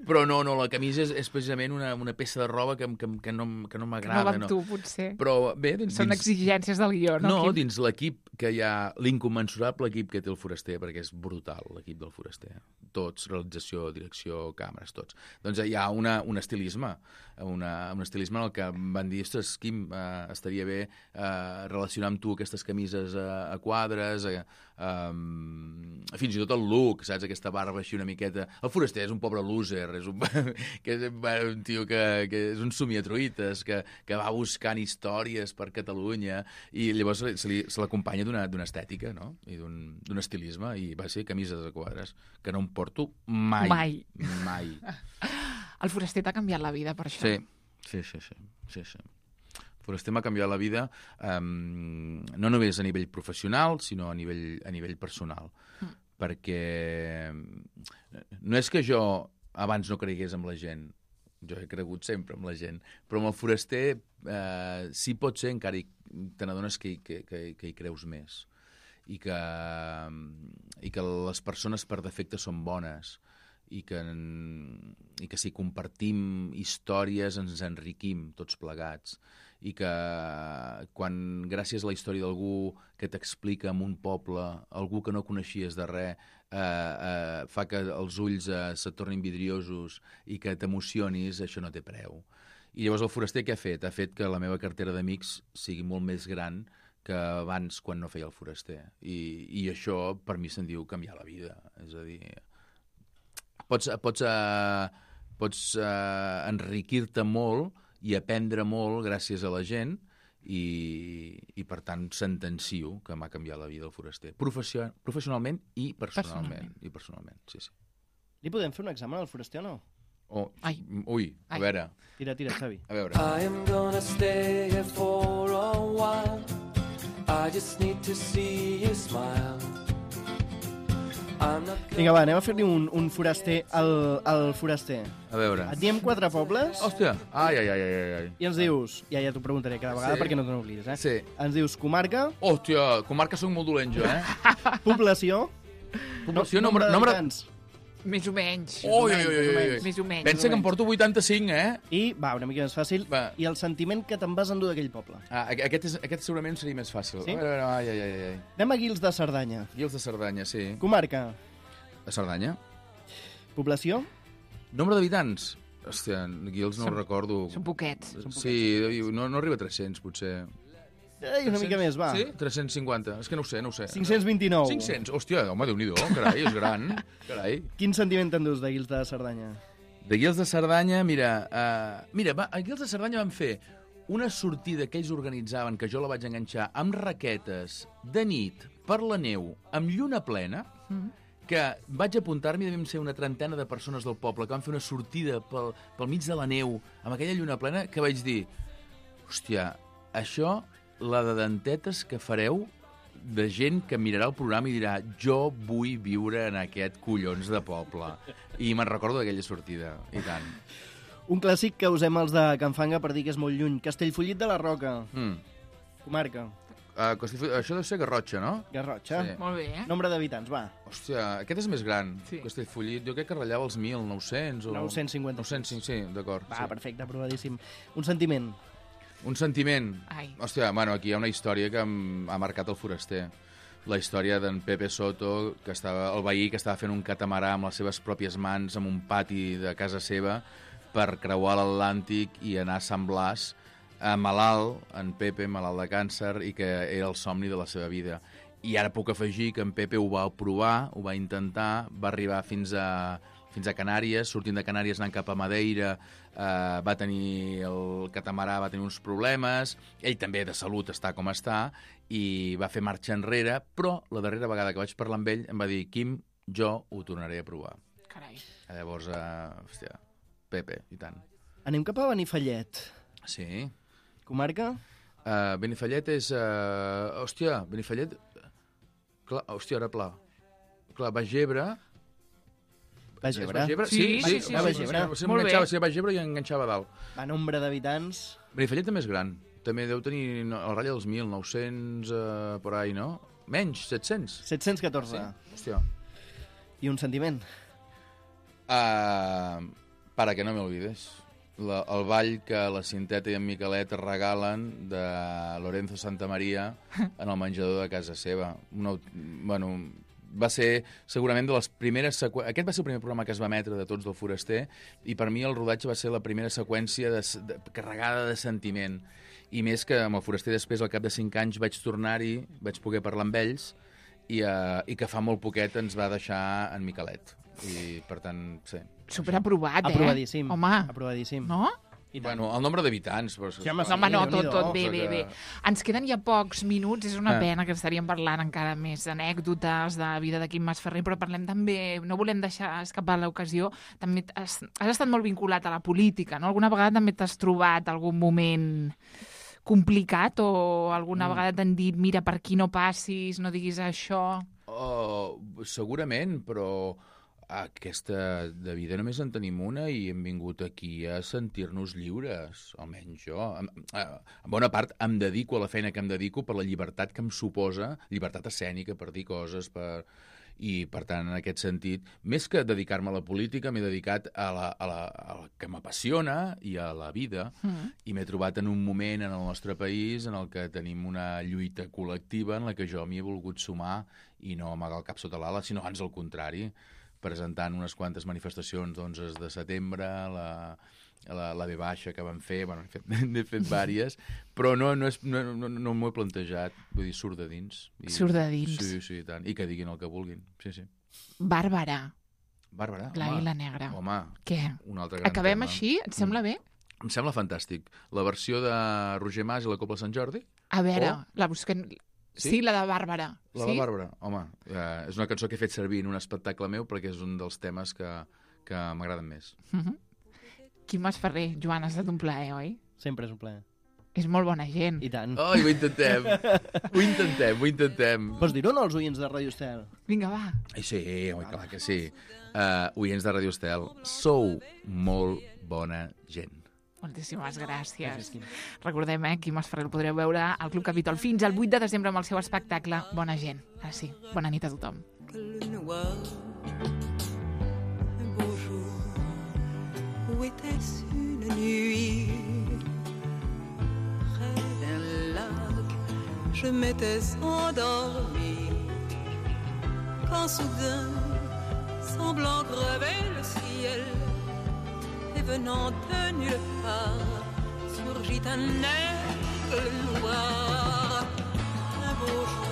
Però no, no, la camisa és, és precisament una, una peça de roba que, que, que no, que no m'agrada. No va amb no. tu, potser. Però bé... Dins, Són exigències del guió, no, No, Quim? dins l'equip que hi ha, l'incommensurable equip que té el Foraster, perquè és brutal l'equip del Foraster. Tots, realització, direcció, càmeres, tots. Doncs hi ha una, un estilisme, una, un estilisme en el que van dir, ostres, Quim, eh, estaria bé eh, relacionar amb tu aquestes camises a, a quadres, a, a, fins i tot el look, saps? Aquesta barba així una miqueta... El Foraster és un pobre loser, és un, que és un tio que, que és un somiatruites, que, que va buscant històries per Catalunya, i llavors se, li, se l'acompanya d'una estètica, no? I d'un estilisme, i va ser camises a quadres, que no em porto mai. Mai. Mai. El Foraster t'ha canviat la vida per això. Sí, sí, sí. sí, sí, sí. El Foraster m'ha canviat la vida um, no només a nivell professional, sinó a nivell, a nivell personal. Mm. Perquè no és que jo abans no cregués en la gent, jo he cregut sempre en la gent, però amb el Foraster eh, sí pot ser encara hi, te n'adones que, que, que, que hi creus més. I que, i que les persones per defecte són bones i que, i que si compartim històries ens enriquim tots plegats i que quan gràcies a la història d'algú que t'explica en un poble, algú que no coneixies de res, eh, eh, fa que els ulls eh, se tornin vidriosos i que t'emocionis, això no té preu. I llavors el Foraster què ha fet? Ha fet que la meva cartera d'amics sigui molt més gran que abans quan no feia el Foraster. I, i això per mi se'n diu canviar la vida. És a dir, pots, pots, uh, pots uh, enriquir-te molt i aprendre molt gràcies a la gent i, i per tant sentencio que m'ha canviat la vida el Foraster. Profession, professionalment i personalment. personalment. I personalment, sí, sí. Li podem fer un examen al Foraster o no? Oh, Ai. Ui, a Ai. veure. Tira, tira, Xavi. A veure. I am gonna stay here for a while. I just need to see you smile. Vinga, va, anem a fer-li un, un foraster al, al Foraster. A veure. Et diem quatre pobles. Hòstia, ai, ai, ai, ai, ai. I ens dius, ja, ja t'ho preguntaré cada vegada sí. perquè no te n'oblidis, eh? Sí. Ens dius comarca. Hòstia, comarca soc molt dolent jo, eh? Població. Població, no, nombre, nombre, Més o menys. Ui, ui, ui, ui. Més o menys. Pensa que em porto vuitanta-cinc, eh? I, va, una mica més fàcil. Va. I el sentiment que te'n vas endur d'aquell poble. Ah, aquest, és, aquest segurament seria més fàcil. Sí? A veure, ai, ai, ai, ai. Anem a Guils de Cerdanya. Guils de Cerdanya, sí. Comarca. A Cerdanya. Població. Nombre d'habitants. Hòstia, Guils no són, ho recordo. Són poquets. Són poquets. Sí, no, no arriba a tres-cents, potser. Ei, una mica més, va. Sí? tres-cents cinquanta. És que no ho sé, no ho sé. cinc-cents vint-i-nou. cinc-cents? Hòstia, home, Déu-n'hi-do, carai, és gran. Carai. Quin sentiment t'endús de Guils de Cerdanya? De Guils de Cerdanya, mira, uh, mira, va, a Guils de Cerdanya van fer una sortida que ells organitzaven, que jo la vaig enganxar, amb raquetes, de nit, per la neu, amb lluna plena, mm. que vaig apuntar-m'hi, devem ser una trentena de persones del poble, que van fer una sortida pel, pel mig de la neu, amb aquella lluna plena, que vaig dir, hòstia, això, la de dentetes que fareu de gent que mirarà el programa i dirà jo vull viure en aquest collons de poble. I me'n recordo d'aquella sortida, i tant. Un clàssic que usem els de Can Fanga per dir que és molt lluny. Castellfollit de la Roca. Mm. Comarca. Uh, això deu ser Garrotxa, no? Garrotxa. Sí. Molt bé, eh? Nombre d'habitants, va. Hòstia, aquest és més gran. Sí. Castellfollit, jo crec que ratllava els mil nou-cents o... nou-cents cinquanta. nou-cents cinc, sí, d'acord. Va, sí. perfecte, aprovadíssim. Un sentiment. Un sentiment. Ai. Hòstia, bueno, aquí hi ha una història que em ha marcat el foraster. La història d'en Pepe Soto, que estava, el veí que estava fent un catamarà amb les seves pròpies mans en un pati de casa seva per creuar l'Atlàntic i anar a Sant Blas, eh, malalt, en Pepe, malalt de càncer, i que era el somni de la seva vida. I ara puc afegir que en Pepe ho va provar, ho va intentar, va arribar fins a, fins a Canàries, sortint de Canàries anant cap a Madeira, eh, va tenir el catamarà, va tenir uns problemes, ell també de salut està com està, i va fer marxa enrere, però la darrera vegada que vaig parlar amb ell em va dir, Quim, jo ho tornaré a provar. Carai. Llavors, eh, hòstia, Pepe, i tant. Anem cap a Benifallet. Sí. Comarca? Uh, Benifallet és... Uh, hòstia, Benifallet... Clar, hòstia, ara pla. Clar, Baix Ebre... Baix Ebre? Baix Ebre? Sí, sí, sí. sí, Baix Ebre. Sí, Molt bé. sí, Baix Ebre i enganxava a dalt. A nombre d'habitants... Benifallet també és gran. També deu tenir no, el ratlla dels mil, nou-cents, uh, por ahí, no? Menys, set-cents. set-cents catorze. Sí, hòstia. I un sentiment? Uh, para que no me olvides. La, el ball que la Cinteta i en Miquelet regalen de Lorenzo Santamaria en el menjador de casa seva. Una, bueno, va ser segurament de les primeres seqüències... Aquest va ser el primer programa que es va emetre de tots del Foraster i per mi el rodatge va ser la primera seqüència de, de, carregada de sentiment. I més que amb el Foraster després, al cap de cinc anys, vaig tornar-hi, vaig poder parlar amb ells i, uh, i que fa molt poquet ens va deixar en Miquelet. I, per tant, sí. Superaprovat, eh? Aprovadíssim. Home. Aprovadíssim. No? Bueno, el nombre d'habitants... Però... Sí, home, No, home, no, tot, tot bé, Cosa bé, que- bé. Ens queden ja pocs minuts, és una Ah. pena que estaríem parlant encara més anècdotes de vida de Quim Masferrer, però parlem també, no volem deixar escapar l'ocasió, també has, has estat molt vinculat a la política, no? Alguna vegada també t'has trobat algun moment complicat o alguna Mm. vegada t'han dit mira, per aquí no passis, no diguis això... Oh, segurament, però aquesta de vida només en tenim una i hem vingut aquí a sentir-nos lliures, almenys jo. En, en bona part em dedico a la feina que em dedico per la llibertat que em suposa, llibertat escènica per dir coses, per... i per tant, en aquest sentit, més que dedicar-me a la política, m'he dedicat a la, a la, a la que m'apassiona i a la vida, Mm. i m'he trobat en un moment en el nostre país en el que tenim una lluita col·lectiva en la que jo m'hi he volgut sumar i no amagar el cap sota l'ala, sinó ans al contrari, presentant unes quantes manifestacions d'onze de setembre, la, la, la V baixa que vam fer, bueno, n'he fet, n'he fet vàries, però no, no, és, no, no, no m'ho he plantejat, vull dir, surt de dins. I, Surt de dins. Sí, sí, i tant, i que diguin el que vulguin, sí, sí. Bàrbara, Bàrbara, l'Àguila Negra. home, Què? un altre gran Acabem tema. així? Et sembla bé? Em sembla fantàstic. La versió de Roger Mas i la Cobla Sant Jordi, A veure, Oh. la busquem... Sí? Sí? la de Bàrbara. la sí? de Bàrbara, home, eh, és una cançó que he fet servir en un espectacle meu perquè és un dels temes que, que m'agraden més. Uh -huh. Quim Masferrer, Joan, ha estat un plaer, oi? Sempre és un plaer. És molt bona gent. I tant. Ai, ho intentem, ho intentem, ho intentem. Vols dir-ho o no als oients de Ràdio Estel? Vinga, va. Ai, sí, home, clar que sí. Uh, oients de Ràdio Estel, sou molt bona gent. Moltíssimes gràcies. Gràcies, Quim. Recordem, eh, Quim Masferrer el podreu veure al Club Capitol fins al vuit de desembre amb el seu espectacle Bona gent. Ara sí, bona nit a tothom. Le noir, un beau jour, ou était-ce une nuit? Près d'un lac, je m'étais endormi, quand soudain, semblant crever le ciel, et venant de nulle part, surgit un aigle noir, un beau jour.